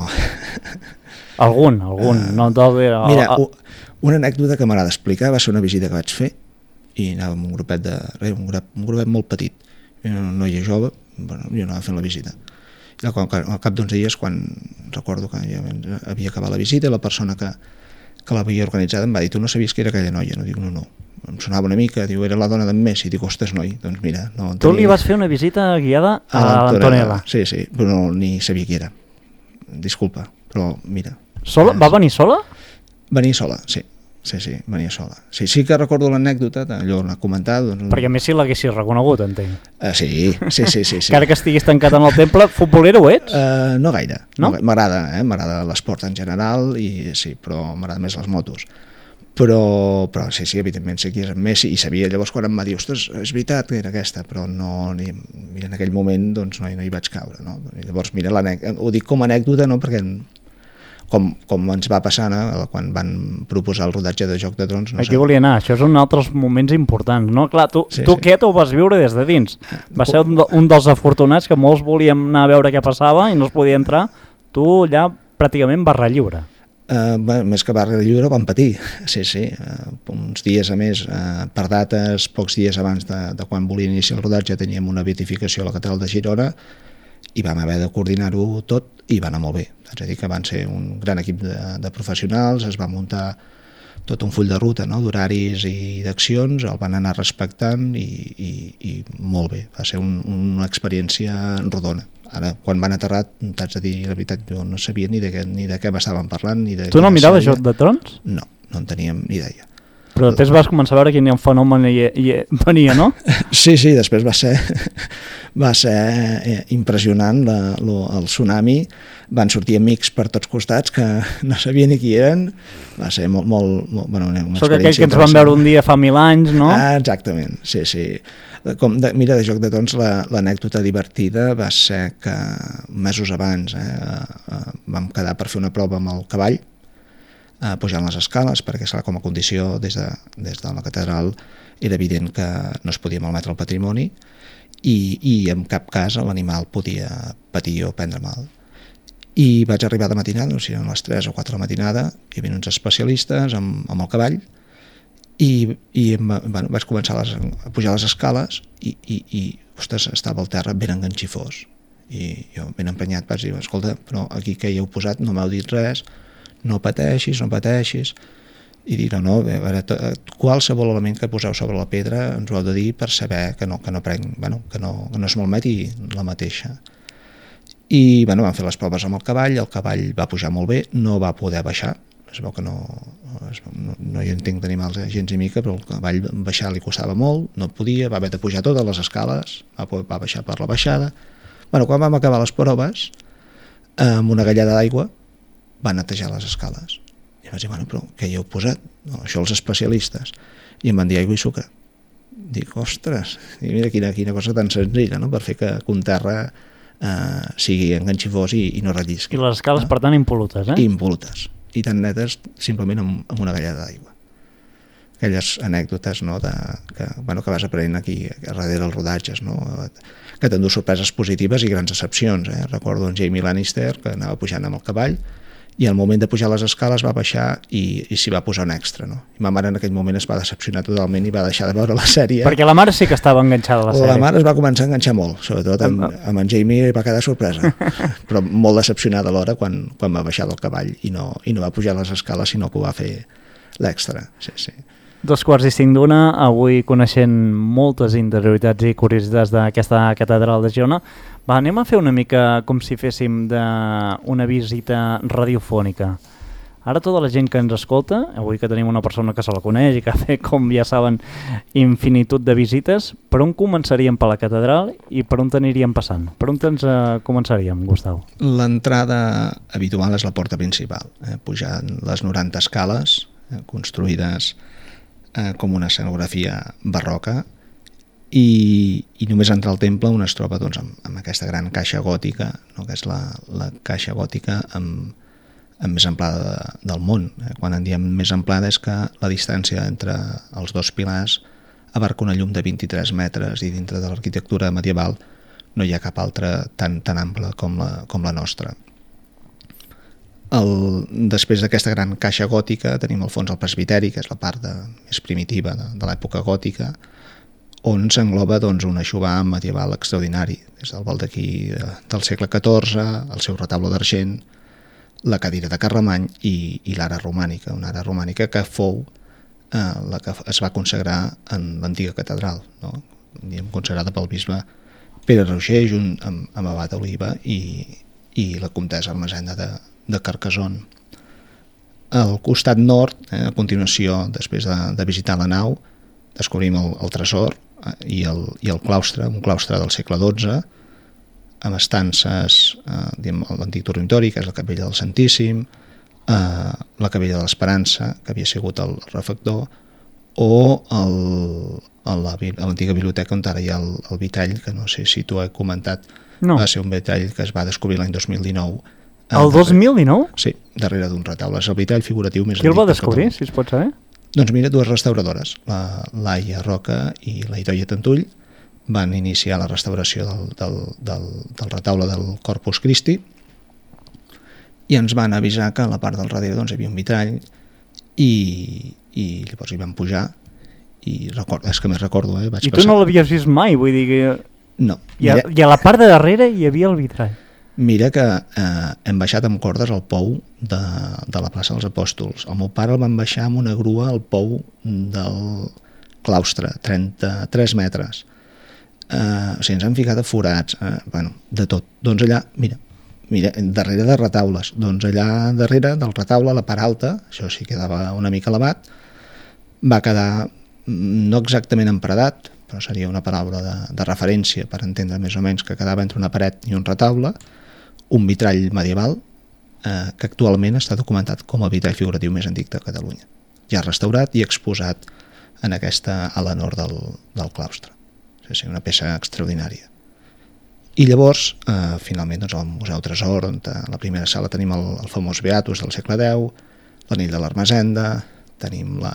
Algun, algun. Uh, no, tot... Mira, una anècdota que m'agrada explicar va ser una visita que vaig fer i anava amb un grupet de res, un, grup, un grupet molt petit, una noia jove, bueno, jo anava fent la visita. I al, al cap d'uns dies, quan recordo que ja havia acabat la visita, la persona que, que l'havia organitzada em va dir, tu no sabies que era aquella noia? No, dic, no, no. Em sonava una mica, diu, era la dona d'en Messi. Dic, ostres, noi, doncs mira... No, tu tenia... li vas fer una visita guiada a, a l'Antonella? Sí, sí, però no, ni sabia qui era. Disculpa, però mira... Sola? Va venir sola? Venir sola, sí. sí, sí, venia sola. Sí, sí que recordo l'anècdota, allò l'ha comentat. Doncs... Perquè a més si l'haguessis reconegut, entenc. Uh, sí, sí, sí, sí, sí. Encara que estiguis tancat en el temple, futbolero ho ets? Uh, no gaire. No? M'agrada, eh? M'agrada l'esport en general, i sí, però m'agrada més les motos. Però, però sí, sí, evidentment sé qui és en Messi, i sabia llavors quan em va dir, ostres, és veritat que era aquesta, però no, ni, mira, en aquell moment doncs, no, no hi vaig caure, no? I llavors, mira, ho dic com a anècdota, no?, perquè com, com ens va passar, no?, quan van proposar el rodatge de Joc de Trons. No Aquí sé. volia anar, això és un altres moments importants, no? Clar, tu, sí, tu sí. aquest ho vas viure des de dins. Va ser un, un dels afortunats que molts volíem anar a veure què passava i no es podia entrar. Tu allà pràcticament barra lliure. Uh, bé, més que barra lliure van patir, sí, sí, uh, uns dies a més, uh, per dates, pocs dies abans de, de quan volia iniciar el rodatge teníem una beatificació a la catedral de Girona i vam haver de coordinar-ho tot i va anar molt bé, és a dir que van ser un gran equip de, de professionals, es va muntar tot un full de ruta, no?, d'horaris i d'accions, el van anar respectant i, i, i molt bé, va ser un, una experiència rodona. Ara, quan van aterrar, t'haig de dir la veritat, jo no sabia ni de què, ni de què m'estaven parlant. Ni de tu no miraves Joc de Trons? No, no en teníem ni idea. Però després vas començar a veure quin fenomen hi, hi venia, no? Sí, sí, després va ser, va ser impressionant la, lo, el tsunami, van sortir amics per tots costats que no sabien ni qui eren, va ser molt... molt, molt bueno, una Sóc aquell que ens van veure un dia fa mil anys, no? Ah, exactament, sí, sí. Com de, mira, de Joc de Trons l'anècdota divertida va ser que mesos abans eh, eh, vam quedar per fer una prova amb el cavall, eh, pujant les escales, perquè serà com a condició des de, des de la catedral era evident que no es podia malmetre el patrimoni i, i en cap cas l'animal podia patir o prendre mal. I vaig arribar de matinada, o sigui, a les tres o quatre de la matinada, hi havia uns especialistes amb, amb el cavall, i, i bueno, vaig començar a, les, a pujar les escales i, i, i ostres, estava al terra ben enganxifós i jo ben emprenyat vaig dir, escolta, però aquí que hi heu posat no m'heu dit res, no pateixis, no pateixis, i dir, no, no, a veure, qualsevol element que poseu sobre la pedra ens ho heu de dir per saber que no, que no prenc, bueno, que no, que no es malmeti la mateixa. I bueno, vam fer les proves amb el cavall, el cavall va pujar molt bé, no va poder baixar, es veu que no, no, no hi entenc d'animals gens ni mica, però el cavall baixar li costava molt, no podia, va haver de pujar totes les escales, va, va baixar per la baixada. Bueno, quan vam acabar les proves, amb una gallada d'aigua, va netejar les escales. I vaig dir, bueno, però què hi heu posat? No, això els especialistes. I em van dir aigua i sucre. Dic, ostres, i mira quina, quina cosa tan senzilla, no?, per fer que un terra eh, sigui enganxifós i, i no rellisqui. I les escales, no?, per tant, impolutes, eh? Impolutes. I tan netes simplement amb, amb una gallada d'aigua. Aquelles anècdotes, no?, de, que, bueno, que vas aprenent aquí darrere els rodatges, no?, que t'endú sorpreses positives i grans decepcions. Eh? Recordo en Jamie Lannister que anava pujant amb el cavall i al moment de pujar les escales va baixar i, i s'hi va posar un extra. No? I ma mare en aquell moment es va decepcionar totalment i va deixar de veure la sèrie. Perquè la mare sí que estava enganxada a la sèrie. La mare es va començar a enganxar molt, sobretot amb, amb en Jamie va quedar sorpresa, però molt decepcionada alhora quan, quan va baixar del cavall i no, i no va pujar les escales, sinó que ho va fer l'extra. Sí, sí. Dos quarts i cinc d'una, avui coneixent moltes interioritats i curiositats d'aquesta catedral de Girona. Va, anem a fer una mica com si féssim de una visita radiofònica. Ara tota la gent que ens escolta, avui que tenim una persona que se la coneix i que ha fet, com ja saben, infinitud de visites, per on començaríem per la catedral i per on t'aniríem passant? Per on ens uh, començaríem, Gustau? L'entrada habitual és la porta principal, eh? pujant les noranta escales eh, construïdes eh, com una escenografia barroca i, i només entrar al temple on es troba doncs, amb, amb aquesta gran caixa gòtica, no? que és la, la caixa gòtica amb amb més amplada de, del món. Eh? Quan en diem més amplada és que la distància entre els dos pilars abarca una llum de vint-i-tres metres i dintre de l'arquitectura medieval no hi ha cap altra tan, tan ampla com la, com la nostra. El, després d'aquesta gran caixa gòtica tenim al fons el presbiteri, que és la part de, més primitiva de, de l'època gòtica, on s'engloba doncs, un aixovar medieval extraordinari, des del baldaquí de, del segle catorze, el seu retable d'argent, la cadira de Carlemany i, i l'ara romànica, una ara romànica que fou eh, la que es va consagrar en l'antiga catedral, no? consagrada pel bisbe Pere Roger junt amb, amb Abat Oliva i, i la comtessa Ermessenda de, de Carcassonne. al costat nord, eh, a continuació, després de, de visitar la nau, descobrim el, el tresor eh, i, el, i el claustre, un claustre del segle dotze, amb estances, eh, l'antic dormitori, que és la capella del Santíssim, eh, la capella de l'Esperança, que havia sigut el refector, o l'antiga biblioteca on ara hi ha el, el vitall, que no sé si tu he comentat, no. Va ser un vitall que es va descobrir l'any dos mil dinou. El dos mil dinou? Sí, darrere d'un retaule. És el vitall figuratiu més antic. Qui el va descobrir, si es pot saber? Doncs mira, dues restauradores, la Laia Roca i la Idoia Tantull, van iniciar la restauració del, del, del, del retaule del Corpus Christi i ens van avisar que a la part del darrere doncs, hi havia un vitrall i, i llavors hi vam pujar i record, és que més recordo, eh? Vaig I tu passar... no l'havies vist mai, vull dir que... No. I a, mira... I a la part de darrere hi havia el vitrall. Mira que eh, hem baixat amb cordes al pou de, de la plaça dels Apòstols. El meu pare el van baixar amb una grua al pou del claustre, trenta-tres metres. Eh, o sigui, ens han ficat a forats, eh, bueno, de tot. Doncs allà, mira, mira, darrere de retaules, doncs allà darrere del retaule, la part alta, això sí quedava una mica elevat, va quedar no exactament emparedat, però seria una paraula de, de referència per entendre més o menys que quedava entre una paret i un retaule, un vitrall medieval eh, que actualment està documentat com el vitrall figuratiu més antic de Catalunya. Ja restaurat i exposat en aquesta ala nord del, del claustre. O sigui, una peça extraordinària. I llavors, eh, finalment, doncs, al Museu Tresor, on a la primera sala tenim el, el famós Beatus del segle deu, l'anell de l'Ermessenda, tenim la,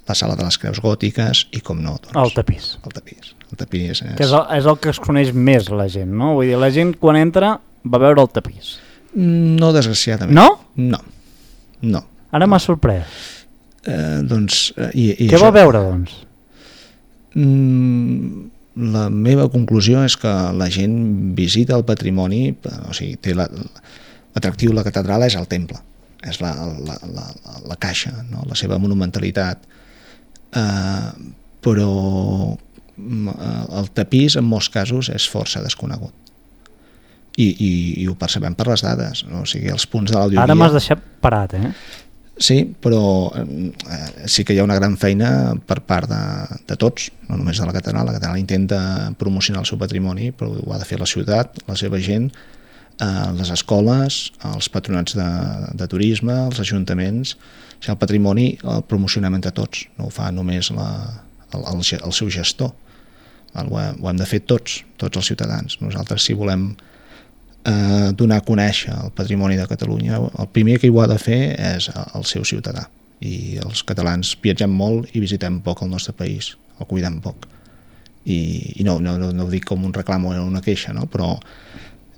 la sala de les creus gòtiques i, com no, doncs, el tapís. El tapís. El tapís és... Que és el, és el que es coneix més la gent, no? Vull dir, la gent quan entra va veure el tapís. No, desgraciadament. No? No. No. Ara m'ha sorprès. Eh, doncs... Eh, i, i Què això... va veure, doncs? Mm, la meva conclusió és que la gent visita el patrimoni, o sigui, té la, l'atractiu de la catedral és el temple, és la, la, la, la caixa, no? La seva monumentalitat, eh, però el tapís en molts casos és força desconegut i, i, i ho percebem per les dades, no? O sigui, els punts de l'audiovia... Ara m'has deixat parat, eh? Sí, però eh, sí que hi ha una gran feina per part de, de tots, no només de la catedral. La catedral intenta promocionar el seu patrimoni, però ho ha de fer la ciutat, la seva gent, eh, les escoles, els patronats de, de turisme, els ajuntaments. O sigui, el patrimoni el promocionem entre tots, no ho fa només la, el, el, el seu gestor. Ho hem, ho hem de fer tots, tots els ciutadans. Nosaltres, si volem eh, donar a conèixer el patrimoni de Catalunya, el primer que hi ho ha de fer és el seu ciutadà. I els catalans viatgem molt i visitem poc el nostre país, el cuidem poc. I, i no, no, no, no ho dic com un reclam o una queixa, no? Però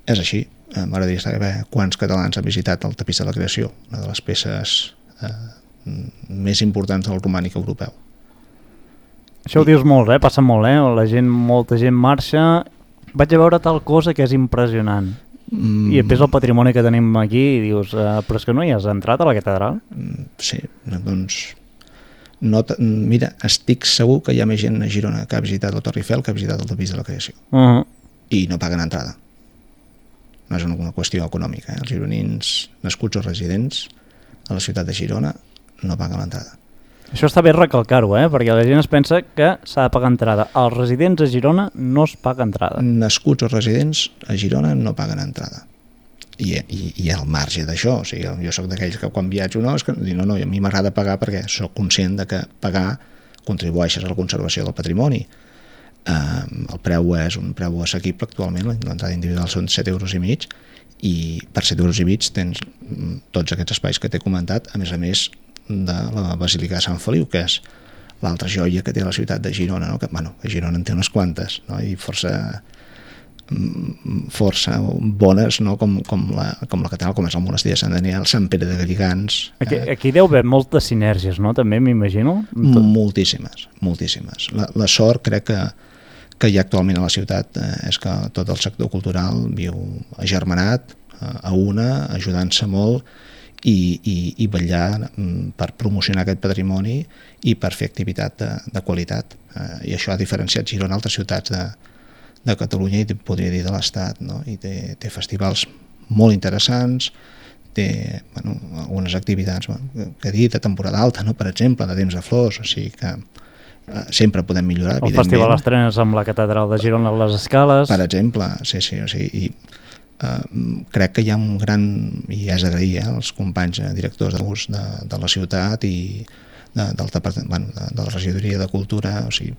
és així. Eh, M'agradaria saber quants catalans han visitat el tapís de la creació, una de les peces eh, més importants del romànic europeu. Això ho dius molt, eh? Passa molt, eh? La gent, molta gent marxa. Vaig a veure tal cosa que és impressionant. Mm. I després el patrimoni que tenim aquí i dius, uh, però és que no hi has entrat a la catedral? Mm, sí, doncs... No mira, estic segur que hi ha més gent a Girona que ha visitat el Torre Eiffel que ha visitat el tapís de la creació. Uh-huh. I no paguen entrada. No és una qüestió econòmica. Eh? Els gironins nascuts o residents a la ciutat de Girona no paguen l'entrada. Això està bé recalcar-ho, eh? Perquè la gent es pensa que s'ha de pagar entrada. Els residents a Girona no es paga entrada. Nascuts o residents a Girona no paguen entrada. I, i, i al marge d'això, o sigui, jo soc d'aquells que quan viatjo no, és que no, no, a mi m'agrada pagar perquè soc conscient de que pagar contribueixes a la conservació del patrimoni. Eh, el preu és un preu assequible actualment, l'entrada individual són set euros i mig, i per set euros i mig tens tots aquests espais que t'he comentat, a més a més de la Basílica de Sant Feliu, que és l'altra joia que té la ciutat de Girona, no? Que, bueno, que Girona en té unes quantes, no? I força força bones, no? com, com, la, com la catedral, com és el monestir de Sant Daniel, Sant Pere de Galligants. Aquí, eh... aquí deu haver moltes sinergies, no? També m'imagino. Moltíssimes, moltíssimes. La, la sort crec que, que hi ha actualment a la ciutat eh, és que tot el sector cultural viu agermanat, eh, a una, ajudant-se molt, I, i, i vetllar per promocionar aquest patrimoni i per fer activitat de, de qualitat. Eh, I això ha diferenciat Girona d'altres ciutats de, de Catalunya i podria dir de l'Estat, no? I té, té festivals molt interessants, té bueno, algunes activitats bueno, que he dit, de temporada alta, no? Per exemple, de temps de flors, o sigui que eh, sempre podem millorar, el Festival Estrenes amb la Catedral de Girona a les Escales. Per exemple, sí, sí, o sigui, i uh, crec que hi ha un gran, i és d'agrair, eh, els companys eh, directors de l'ús de, de la ciutat i de, del departament, bueno, de, de la regidoria de cultura, o sigui,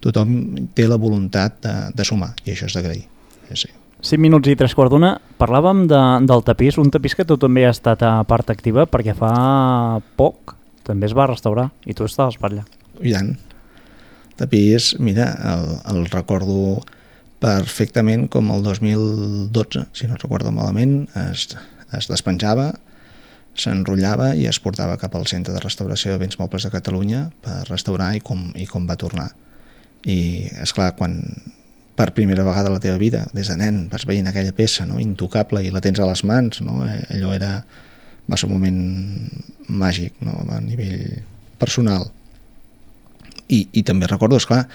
tothom té la voluntat de, de sumar, i això és d'agrair. Sí, sí. cinc minuts i tres quarts d'una. Parlàvem de, del tapís, un tapís que tu també has estat a part activa perquè fa poc també es va restaurar i tu estaves per allà. I tant. Tapís, mira, el, el recordo perfectament com el dos mil dotze, si no recordo malament, es, es despenjava, s'enrotllava i es portava cap al Centre de Restauració de Béns Mobles de Catalunya per restaurar i com, i com va tornar. I, esclar, quan per primera vegada a la teva vida, des de nen, vas veient aquella peça, no? Intocable, i la tens a les mans, no? Allò era, va ser un moment màgic, no? A nivell personal. I, i també recordo, esclar,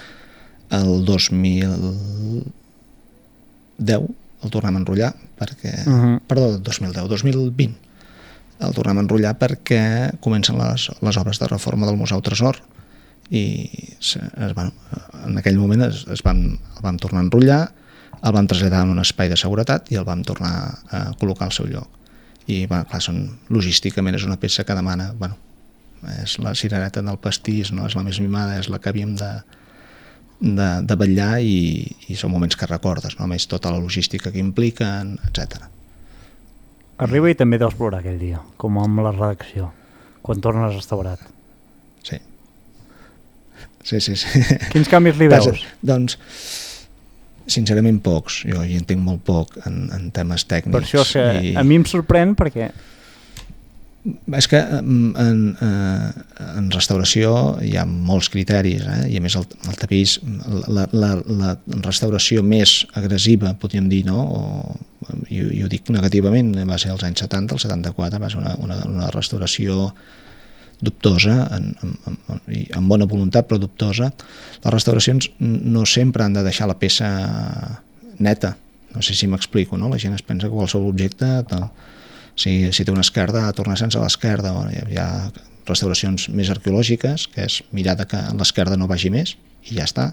el dos mil deu el tornem a enrotllar perquè, uh-huh. perdó, dos mil deu, dos mil vint el tornem a enrotllar perquè comencen les, les obres de reforma del Museu Tresor i es, bueno, en aquell moment es, es van, el vam tornar a enrotllar, el vam traslladar en un espai de seguretat i el vam tornar a col·locar al seu lloc. I bueno, clar, són, logísticament és una peça que demana, bueno, és la cirereta del pastís, no? És la més mimada, és la que havíem de, de, de vetllar i, i són moments que recordes, no? A més tota la logística que impliquen, etcètera. Arriba i també deus plorar aquell dia, com amb la redacció, quan tornes restaurat. Sí. Sí, sí, sí. Quins canvis li veus? Doncs, sincerament pocs. Jo hi entenc molt poc en, en temes tècnics. Per això que i... a mi em sorprèn perquè... És que en, en, en restauració hi ha molts criteris, eh? I a més el, el tapís, la, la, la restauració més agressiva, podríem dir, no? O, i, i ho dic negativament, va ser als anys setanta, el setanta-quatre, va ser una, una, una restauració dubtosa, en, en, en, en bona voluntat però dubtosa. Les restauracions no sempre han de deixar la peça neta, no sé si m'explico, no? La gent es pensa que qualsevol objecte, no. si, si té una esquerda, ha tornar sense l'esquerda. Hi ha restauracions més arqueològiques, que és mirar que l'esquerda no vagi més i ja està.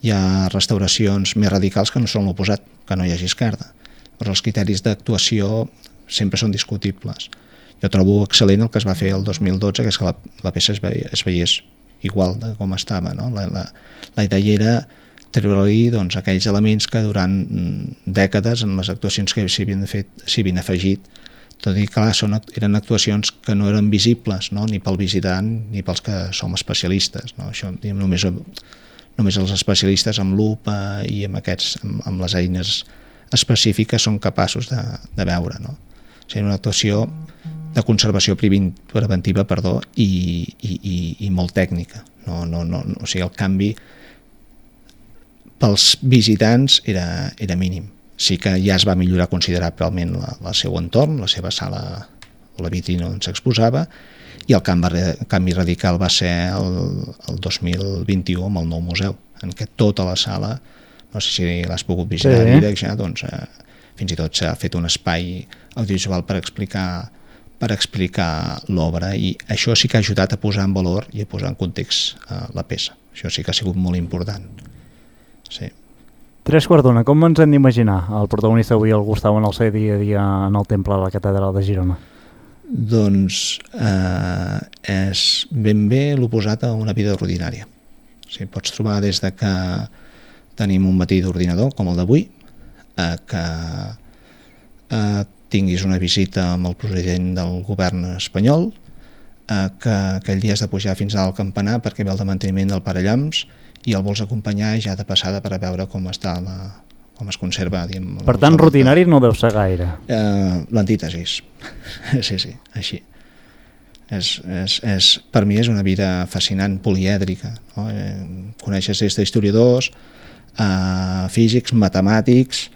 Hi ha restauracions més radicals que no són l'oposat, que no hi hagi esquerda. Però els criteris d'actuació sempre són discutibles. Jo trobo excel·lent el que es va fer el dos mil dotze, que és que la, la peça es, veia, es veiés igual de com estava, no? La, la, la idea era treure-li doncs, aquells elements que durant dècades en les actuacions que s'hi havien fet s'hi havien afegit, tot i que clar, són, eren actuacions que no eren visibles, no? Ni pel visitant ni pels que som especialistes, no? Això, diguem, només, només els especialistes amb lupa i amb, aquests, amb, amb les eines específiques són capaços de, de veure, no? O sigui, una actuació de conservació preventiva, perdó, i, i, i, i molt tècnica. No, no, no, o sigui, el canvi pels visitants era, era mínim. Sí que ja es va millorar considerablement la, la seu entorn, la seva sala o la vitrina on s'exposava, i el canvi, canvi radical va ser el, el dos mil vint-i-u amb el nou museu, en què tota la sala, no sé si l'has pogut visitar, sí. Directe, doncs, eh, fins i tot s'ha fet un espai audiovisual per explicar per explicar l'obra, i això sí que ha ajudat a posar en valor i a posar en context eh, la peça. Això sí que ha sigut molt important. Sí. Tres quarts d'una, com ens hem d'imaginar el protagonista avui, el Gustau, en el seu dia a dia en el temple de la Catedral de Girona? Doncs eh, és ben bé l'oposat a una vida ordinària. O sigui, pots trobar des de que tenim un matí d'ordinador, com el d'avui, eh, que eh, tinguis una visita amb el president del govern espanyol, eh, que aquell dia has de pujar fins al campanar perquè ve el de manteniment del Parellams i el vols acompanyar ja de passada per a veure com està la, com es conserva. Diguem, per tant, rutinari no deu ser gaire. Eh, L'antítesis. Sí, sí, així. És, és, és, per mi és una vida fascinant, polièdrica. No? Eh, coneixes des d'historiadors, eh, físics, matemàtics.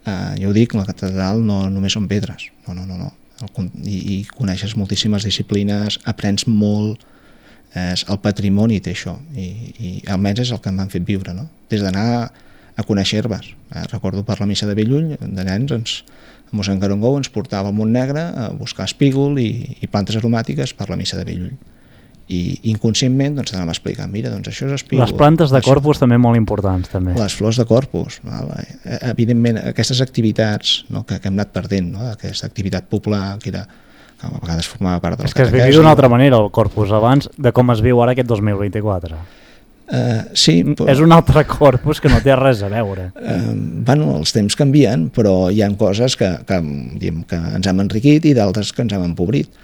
Uh, jo ho dic, la catedral no només són pedres, no, no, no, no. El, i, i coneixes moltíssimes disciplines, aprens molt, és, el patrimoni té això, i, i almenys és el que m'han fet viure, no? Des d'anar a conèixer herbes. Eh, recordo per la missa de Bellull, de nens ens, mossèn Carongou ens portava al Montnegre a buscar espígol i, i plantes aromàtiques per la missa de Bellull. I inconscientment doncs t'anàvem explicant, mira, doncs això és espígol. Les plantes de corpus també molt importants, també. Les flors de corpus, val? Evidentment, aquestes activitats, no, que, que hem anat perdent, no? Aquesta activitat popular que era que a vegades formava part del és que es vivia d'una altra manera el corpus abans de com es viu ara aquest dos mil vint-i-quatre. Uh, sí, però, és un altre corpus que no té res a veure. Uh, bueno, els temps canvien, però hi ha coses que, que, diguem, que ens hem enriquit i d'altres que ens hem empobrit.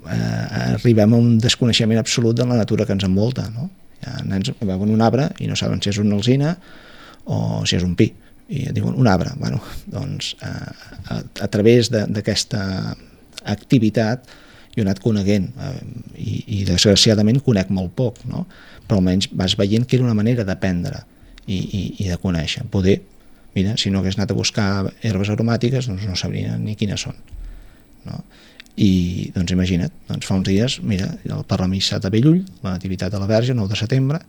Arribem a un desconeixement absolut de la natura que ens envolta, no? Hi ha nens que veuen un arbre i no saben si és una alzina o si és un pi, i diuen un arbre. Bueno, doncs a, a, a través d'aquesta activitat jo he anat coneguent eh, i, i desgraciadament conec molt poc, no? Però almenys vas veient que era una manera d'aprendre i, i, i de conèixer. Poder, mira, si no hagués anat a buscar herbes aromàtiques doncs no sabria ni quines són, no? I doncs imagina't, doncs fa uns dies, mira, per la missa de Bellull, la nativitat de la Verge, nou de setembre,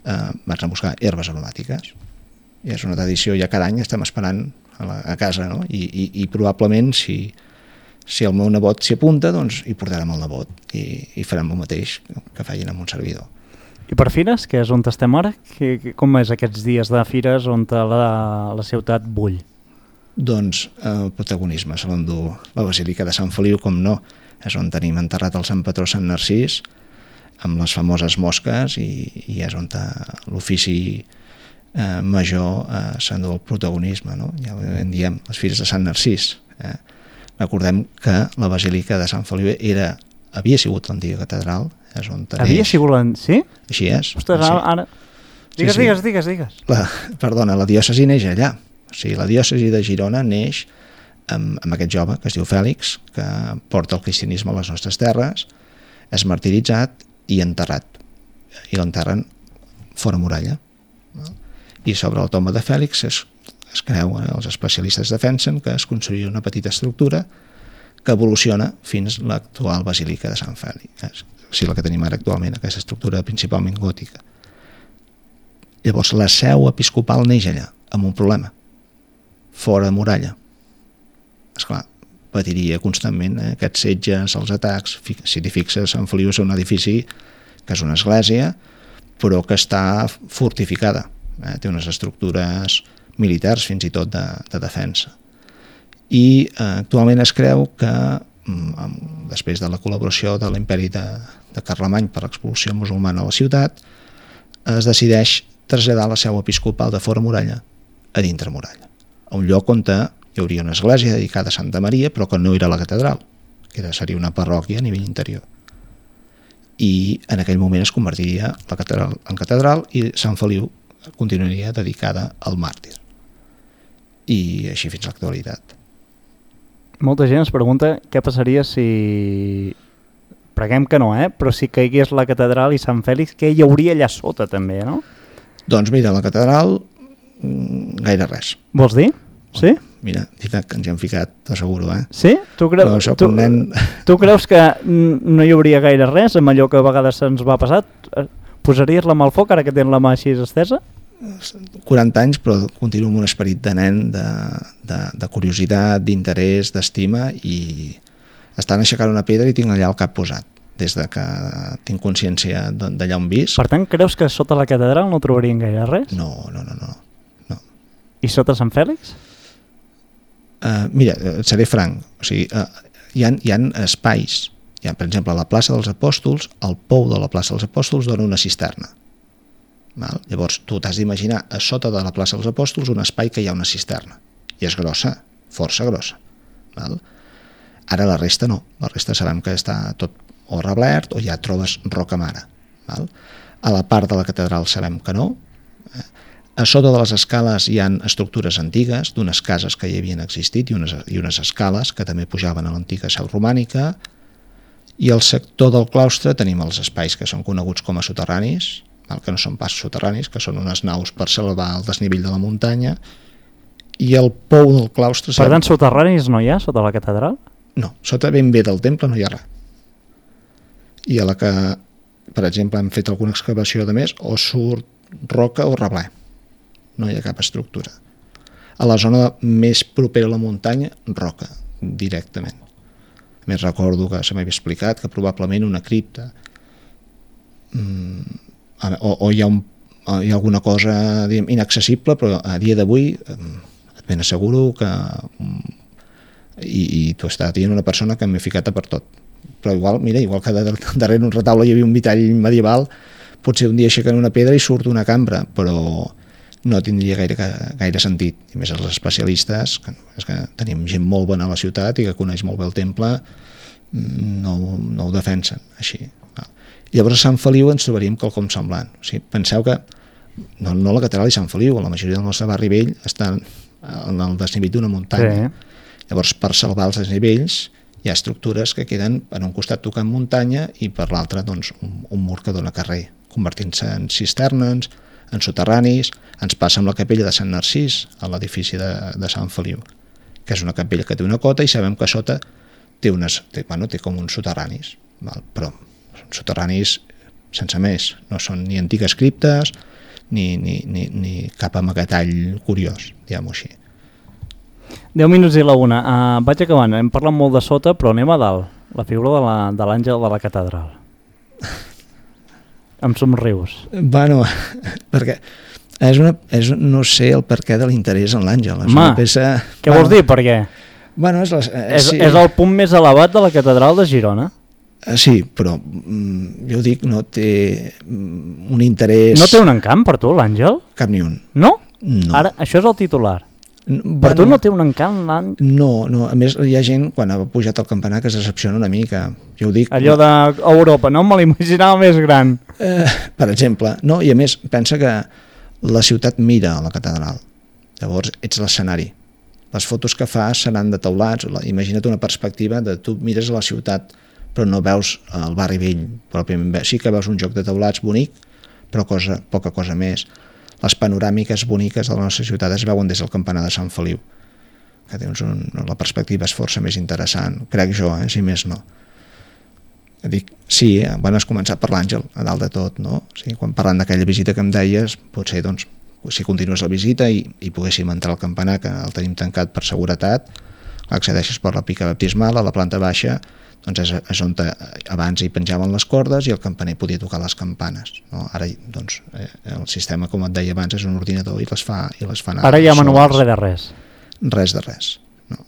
eh, vaig anar a buscar herbes aromàtiques. I és una tradició, ja cada any estem esperant a, la, a casa, no? I, i, i probablement si, si el meu nebot s'hi apunta, doncs hi portarem el nebot i, i farem el mateix que feien amb un servidor. I per fires, que és on estem ara? Que, que, com és aquests dies de fires on la, la ciutat bull? Doncs el protagonisme se l'endú la Basílica de Sant Feliu, com no, és on tenim enterrat el Sant Patró Sant Narcís, amb les famoses mosques, i, i és on l'ofici eh, major eh, s'endú el protagonisme, no? Ja en diem les fires de Sant Narcís. Eh? Recordem que la Basílica de Sant Feliu era, havia sigut l'antiga catedral, és on havia neix. Sigut l'antiga? Sí? Així és. Ostres, sí. ara... Digues, sí, sí. digues, digues, digues. La, perdona, la diòcesi neix allà. O sigui, la diòcesi de Girona neix amb, amb aquest jove que es diu Fèlix, que porta el cristianisme a les nostres terres, és martiritzat i enterrat. I l'enterren fora muralla. No? I sobre la tomba de Fèlix es, es creu, eh, els especialistes defensen que es construïa una petita estructura que evoluciona fins a l'actual Basílica de Sant Fèlix. O sigui, la que tenim ara actualment, aquesta estructura principalment gòtica. Llavors, la seu episcopal neix allà, amb un problema. Fora muralla. Esclar, patiria constantment eh, aquests setges, els atacs. Si t'hi fixes, Sant Feliu és un edifici que és una església, però que està fortificada. Eh? Té unes estructures militars, fins i tot de, de defensa. I eh, actualment es creu que, mm, després de la col·laboració de l'imperi de, de Carlemany per l'expulsió musulmana a la ciutat, es decideix traslladar la seu episcopal de fora muralla a dintre muralla, a un lloc on hi hauria una església dedicada a Santa Maria, però que no era la catedral, que era, seria una parròquia a nivell interior. I en aquell moment es convertiria la catedral en catedral i Sant Feliu continuaria dedicada al màrtir. I així fins a l'actualitat. Molta gent es pregunta què passaria si... Preguem que no, eh? Però si caigués la catedral i Sant Fèlix, què hi hauria allà sota també, no? Doncs mira, la catedral, gaire res. Vols dir? Sí? Mira, que ens hi hem ficat, t'asseguro, eh? Sí? Tu, creu, tu, nen... tu creus que no hi hauria gaire res amb allò que a vegades se'ns va passar? Posaries la mà al foc ara que tens la mà així estesa? quaranta anys, però continuo amb un esperit de nen, de, de, de curiositat, d'interès, d'estima, i estan aixecant una pedra i tinc allà el cap posat, des de que tinc consciència d'allà on visc. Per tant, creus que sota la catedral no trobarien gaire res? No, no, no, no. no. I sota Sant Fèlix? Uh, mira, et seré franc, o sigui, uh, hi ha, hi ha espais, hi ha, per exemple, a la plaça dels Apòstols, el pou de la plaça dels Apòstols dona una cisterna. Val? Llavors, tu t'has d'imaginar a sota de la plaça dels Apòstols un espai que hi ha una cisterna, i és grossa, força grossa. Val? Ara la resta no, la resta sabem que està tot o reblert o ja trobes roca mare. Val? A la part de la catedral sabem que no. A sota de les escales hi ha estructures antigues d'unes cases que hi havien existit i unes, i unes escales que també pujaven a l'antiga seu romànica, i al sector del claustre tenim els espais que són coneguts com a soterranis, val? Que no són pas soterranis, que són unes naus per salvar el desnivell de la muntanya, i el pou del claustre... Per tant, soterranis no hi ha sota la catedral? No, sota ben bé del temple no hi ha res. I a la que, per exemple, hem fet alguna excavació de més, o surt roca o reblè. No hi ha cap estructura. A la zona més propera a la muntanya, roca, directament. A més, recordo que se m'havia explicat que probablement una cripta mm, o, o hi ha, un, hi ha alguna cosa diguem, inaccessible, però a dia d'avui et ben asseguro que i, i t'ho està dient una persona que m'he ficat a per tot. Però igual, mira, igual que darrere un retaule hi havia un vitall medieval, potser un dia aixequen una pedra i surt una cambra, però no tindria gaire, gaire sentit. I més els especialistes, que, és que tenim gent molt bona a la ciutat i que coneix molt bé el temple, no, no ho defensen així. Llavors a Sant Feliu ens trobaríem quelcom semblant. O sigui, penseu que no, no la catedral i Sant Feliu, la majoria del nostre barri vell estan en el desnivell d'una muntanya. Sí. Llavors, per salvar els desnivells, hi ha estructures que queden per un costat tocant muntanya i per l'altre doncs, un, un mur que dona carrer, convertint-se en cisternes, en soterranis. Ens passa amb la capella de Sant Narcís, a l'edifici de, de Sant Feliu, que és una capella que té una cota i sabem que a sota té, unes, té, bueno, té com uns soterranis, val? Però són soterranis sense més, no són ni antigues criptes ni, ni, ni, ni cap amagatall curiós, diguem-ho així. deu minuts i la una. Uh, vaig acabant. Hem parlat molt de sota, però anem a dalt. La figura de l'àngel de, de la catedral. Em somrius. Bueno, perquè és una, és, no sé el perquè de l'interès en l'àngel. És Home, una peça... Què bueno, vols dir, per què? Bueno, és, la, eh, és, sí. és el punt més elevat de la catedral de Girona. Sí, però mm, jo dic, no té mm, un interès... No té un encant per tu, l'àngel? Cap ni un. No? No. Ara, això és el titular. Bueno, per tu no té un encant l'àngel? No, no, a més hi ha gent quan ha pujat al campanar que es decepciona una mica, jo ho dic... Allò d'Europa, no me l'imaginava més gran. Eh, per exemple, no? I a més pensa que la ciutat mira a la catedral, llavors ets l'escenari. Les fotos que fas seran de teulats, imagina't una perspectiva de tu mires a la ciutat però no veus el barri vell pròpiament. Sí que veus un joc de teulats bonic, però cosa, poca cosa més. Les panoràmiques boniques de la nostra ciutat es veuen des del campanar de Sant Feliu, que tens un, la perspectiva és força més interessant, crec jo, eh, si més no. Dic, sí, eh, bueno, has començat per l'Àngel, a dalt de tot, no? O sigui, quan parlant d'aquella visita que em deies, potser, doncs, si continues la visita i, i poguéssim entrar al campanar, que el tenim tancat per seguretat, accedeixes per la pica baptismal, a la planta baixa, doncs és, és on te, abans hi penjaven les cordes i el campaner podia tocar les campanes, no? Ara doncs, eh, el sistema, com et deia abans, és un ordinador i les fa, i les fa anar. Ara hi ha manual res de res. Res de res. No.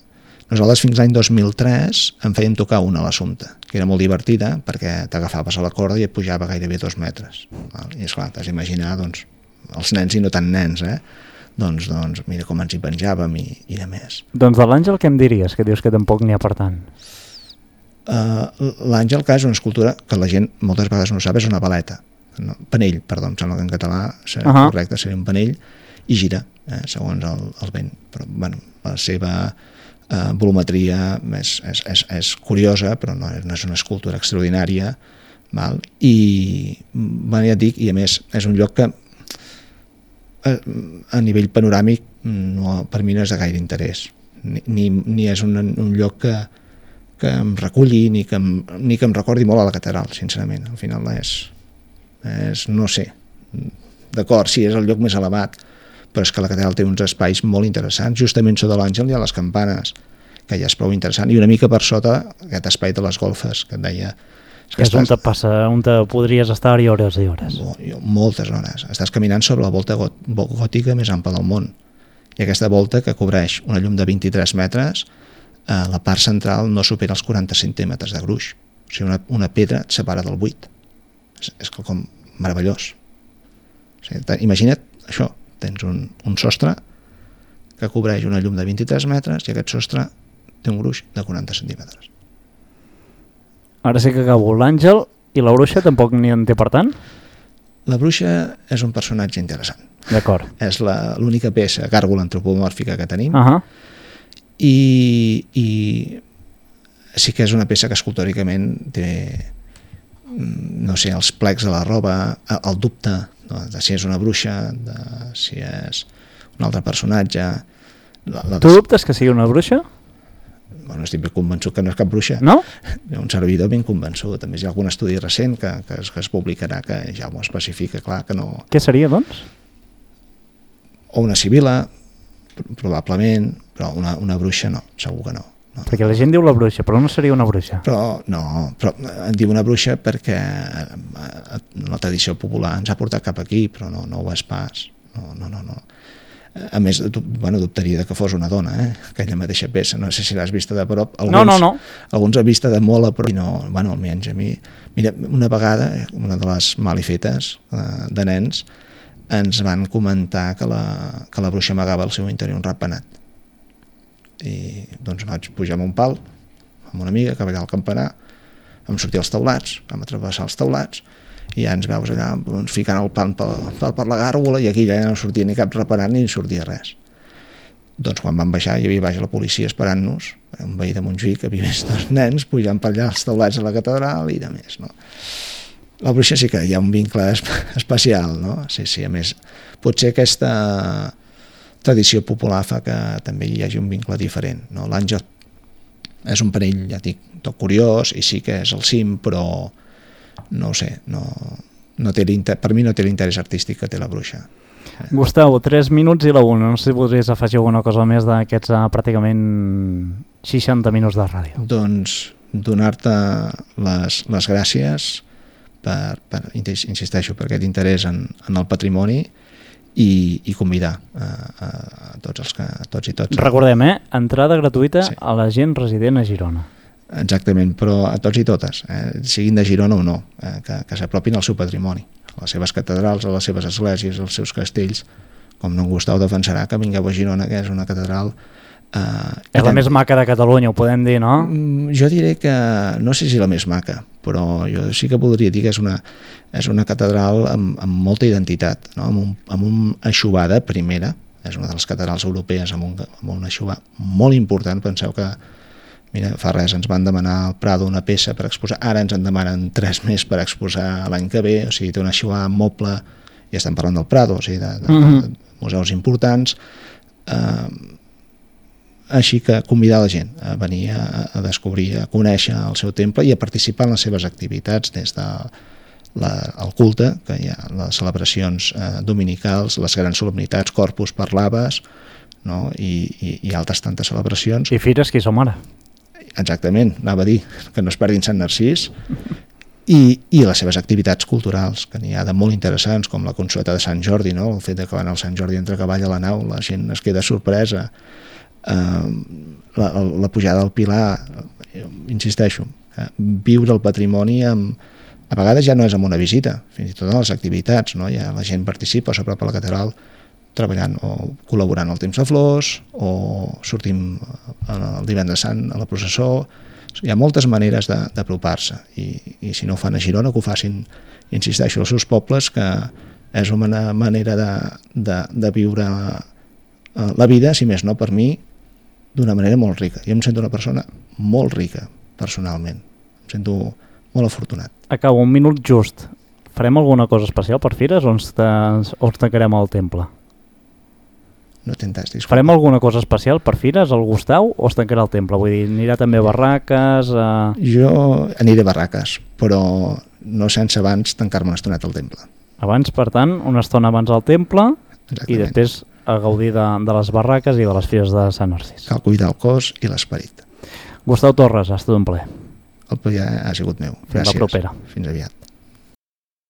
Nosaltres fins l'any dos mil tres en fèiem tocar una a l'Assumpte, que era molt divertida perquè t'agafaves a la corda i et pujava gairebé dos metres. Val? I esclar, t'has d'imaginar doncs, els nens i no tan nens, eh? Doncs, doncs mira com ens hi penjàvem i, i de més. Doncs de l'Àngel què em diries? Que dius que tampoc n'hi ha per tant. Uh, L'Àngel, que és una escultura que la gent moltes vegades no sap, és una baleta, no, panell, perdó, em sembla que en català seria uh -huh. correcte, seria un panell, i gira, eh, segons el, el vent. Però, bueno, la seva uh, volumetria és, és, és, és curiosa, però no, no és una escultura extraordinària, val? I, bueno, ja et dic, i a més és un lloc que a, a nivell panoràmic no, per mi no és de gaire interès, ni, ni, ni és un, un lloc que que em reculli ni que em, ni que em recordi molt a la catedral, sincerament. Al final és, és no sé, d'acord, sí, és el lloc més elevat, però és que la catedral té uns espais molt interessants. Justament sota l'Àngel hi ha les campanes, que ja és prou interessant, i una mica per sota aquest espai de les golfes, que et deia... És, que és estàs... on te passa, on te podries estar-hi hores i hores. Moltes hores. Estàs caminant sobre la volta gòtica més ampla del món. I aquesta volta, que cobreix una llum de vint-i-tres metres, la part central no supera els quaranta centímetres de gruix. O sigui, una, una pedra et separa del buit. És, és com meravellós. O sigui, imagina't això, tens un, un sostre que cobreix una llum de vint-i-tres metres i aquest sostre té un gruix de quaranta centímetres. Ara sí que acabo. L'Àngel i la bruixa tampoc n'hi en té per tant? La bruixa és un personatge interessant. D'acord. És l'única peça gàrgola antropomòrfica que tenim. Uh -huh. I, i sí que és una peça que escultòricament té, no sé, els plecs de la roba, el dubte, no, de si és una bruixa, de si és un altre personatge. La, la tu dubtes que sigui una bruixa? Bueno, estic ben convençut que no és cap bruixa. No? Un servidor ben convençut. A més, hi ha algun estudi recent que, que, es, que es publicarà que ja ho especifica, clar que no... Què seria, doncs? O una sibila, probablement, però una, una bruixa no, segur que no. No. Perquè la gent diu la bruixa, però no seria una bruixa. Però no, però en diu una bruixa perquè la tradició popular ens ha portat cap aquí, però no, no ho és pas. No, no, no, no. A més, bueno, dubtaria que fos una dona, eh? Aquella mateixa peça, no sé si l'has vista de prop. Alguns, no, no, no. Alguns han vista de molt a prop, i no, bueno, almenys a mi... Mira, una vegada, una de les malifetes eh, de nens, ens van comentar que la, que la bruixa amagava al seu interior un ratpenat. I doncs vaig pujar amb un pal, amb una amiga, que va allà al campanar, vam sortir als teulats, vam atravessar els teulats, i ja ens veus allà doncs, ficant el pan per, per, per la gàrgola, i aquí ja no sortia ni cap reparant ni sortia res. Doncs quan vam baixar hi havia baix la policia esperant-nos, un veí de Montjuïc que havia vist dos nens pujant per allà als teulats de la catedral i de més, no? La bruixa sí que hi ha un vincle especial, no? Sí, sí, a més, potser aquesta tradició popular fa que també hi hagi un vincle diferent, no? L'àngel és un parell, ja dic, tot curiós, i sí que és el cim, però no ho sé, no, no té per mi no té l'interès artístic que té la bruixa. Gustau, tres minuts i la una. No sé si podries afegir alguna cosa més d'aquests uh, pràcticament seixanta minuts de ràdio. Doncs donar-te les, les gràcies per, per, insisteixo, per aquest interès en, en el patrimoni i, i convidar a, a, a tots els que, a tots i tots. Recordem, eh? Entrada gratuïta sí. A la gent resident a Girona. Exactament, però a tots i totes, eh, siguin de Girona o no, eh, que, que s'apropin al seu patrimoni, a les seves catedrals, a les seves esglésies, als seus castells, com no en Gustau defensarà que vingueu a Girona, que és una catedral... Eh, és la més maca de Catalunya, ho podem dir, no? Jo diré que, no sé si la més maca, però jo sí que podria dir que és una, és una catedral amb, amb molta identitat, no? amb, un, amb un eixuvar de primera, és una de les catedrals europees amb un, amb un eixuvar molt important. Penseu que mira, fa res ens van demanar al Prado una peça per exposar, ara ens en demanen tres més per exposar l'any que ve, o sigui, té un eixuvar moble, ja estem parlant del Prado, o sigui, de, de, mm-hmm. de museus importants, eh, així que convidar la gent a venir a, a descobrir, a conèixer el seu temple i a participar en les seves activitats, des de la, el culte, que hi ha les celebracions eh, dominicals, les grans solemnitats, Corpus per l'Abbes, no? I, i, i altres tantes celebracions. I fires que hi som ara. Exactament, anava a dir que no es perdin Sant Narcís, i, i les seves activitats culturals, que n'hi ha de molt interessants, com la consueta de Sant Jordi, no? El fet de que van al Sant Jordi entre cavall a la nau, la gent es queda sorpresa, eh, la, la pujada al Pilar, insisteixo, eh, viure el patrimoni amb, a vegades ja no és amb una visita, fins i tot en les activitats, no? Ja la gent participa, s'apropa a la catedral treballant o col·laborant al temps de flors, o sortim el divendres sant a la processó. Hi ha moltes maneres d'apropar-se, i, i si no ho fan a Girona, que ho facin, insisteixo, als seus pobles, que és una manera de, de, de viure la vida, si més no per mi, d'una manera molt rica. Jo em sento una persona molt rica, personalment. Em sento molt afortunat. Acabo, un minut just. Farem alguna cosa especial per fires o ens, o ens tancarem al temple? No t'entens, disculpa. Farem alguna cosa especial per fires, el Gustau, o es tancarà el temple? Vull dir, anirà també a barraques? A... Jo aniré a barraques, però no sense abans tancar-me una estoneta al temple. Abans, per tant, una estona abans al temple. Exactament. I després a gaudir de, de les barraques i de les fires de Sant Narcís. Cal cuidar el cos i l'esperit. Gustau Torres, ha estat un plaer. El plaer ha sigut meu. Gràcies. Fins la propera. Fins aviat.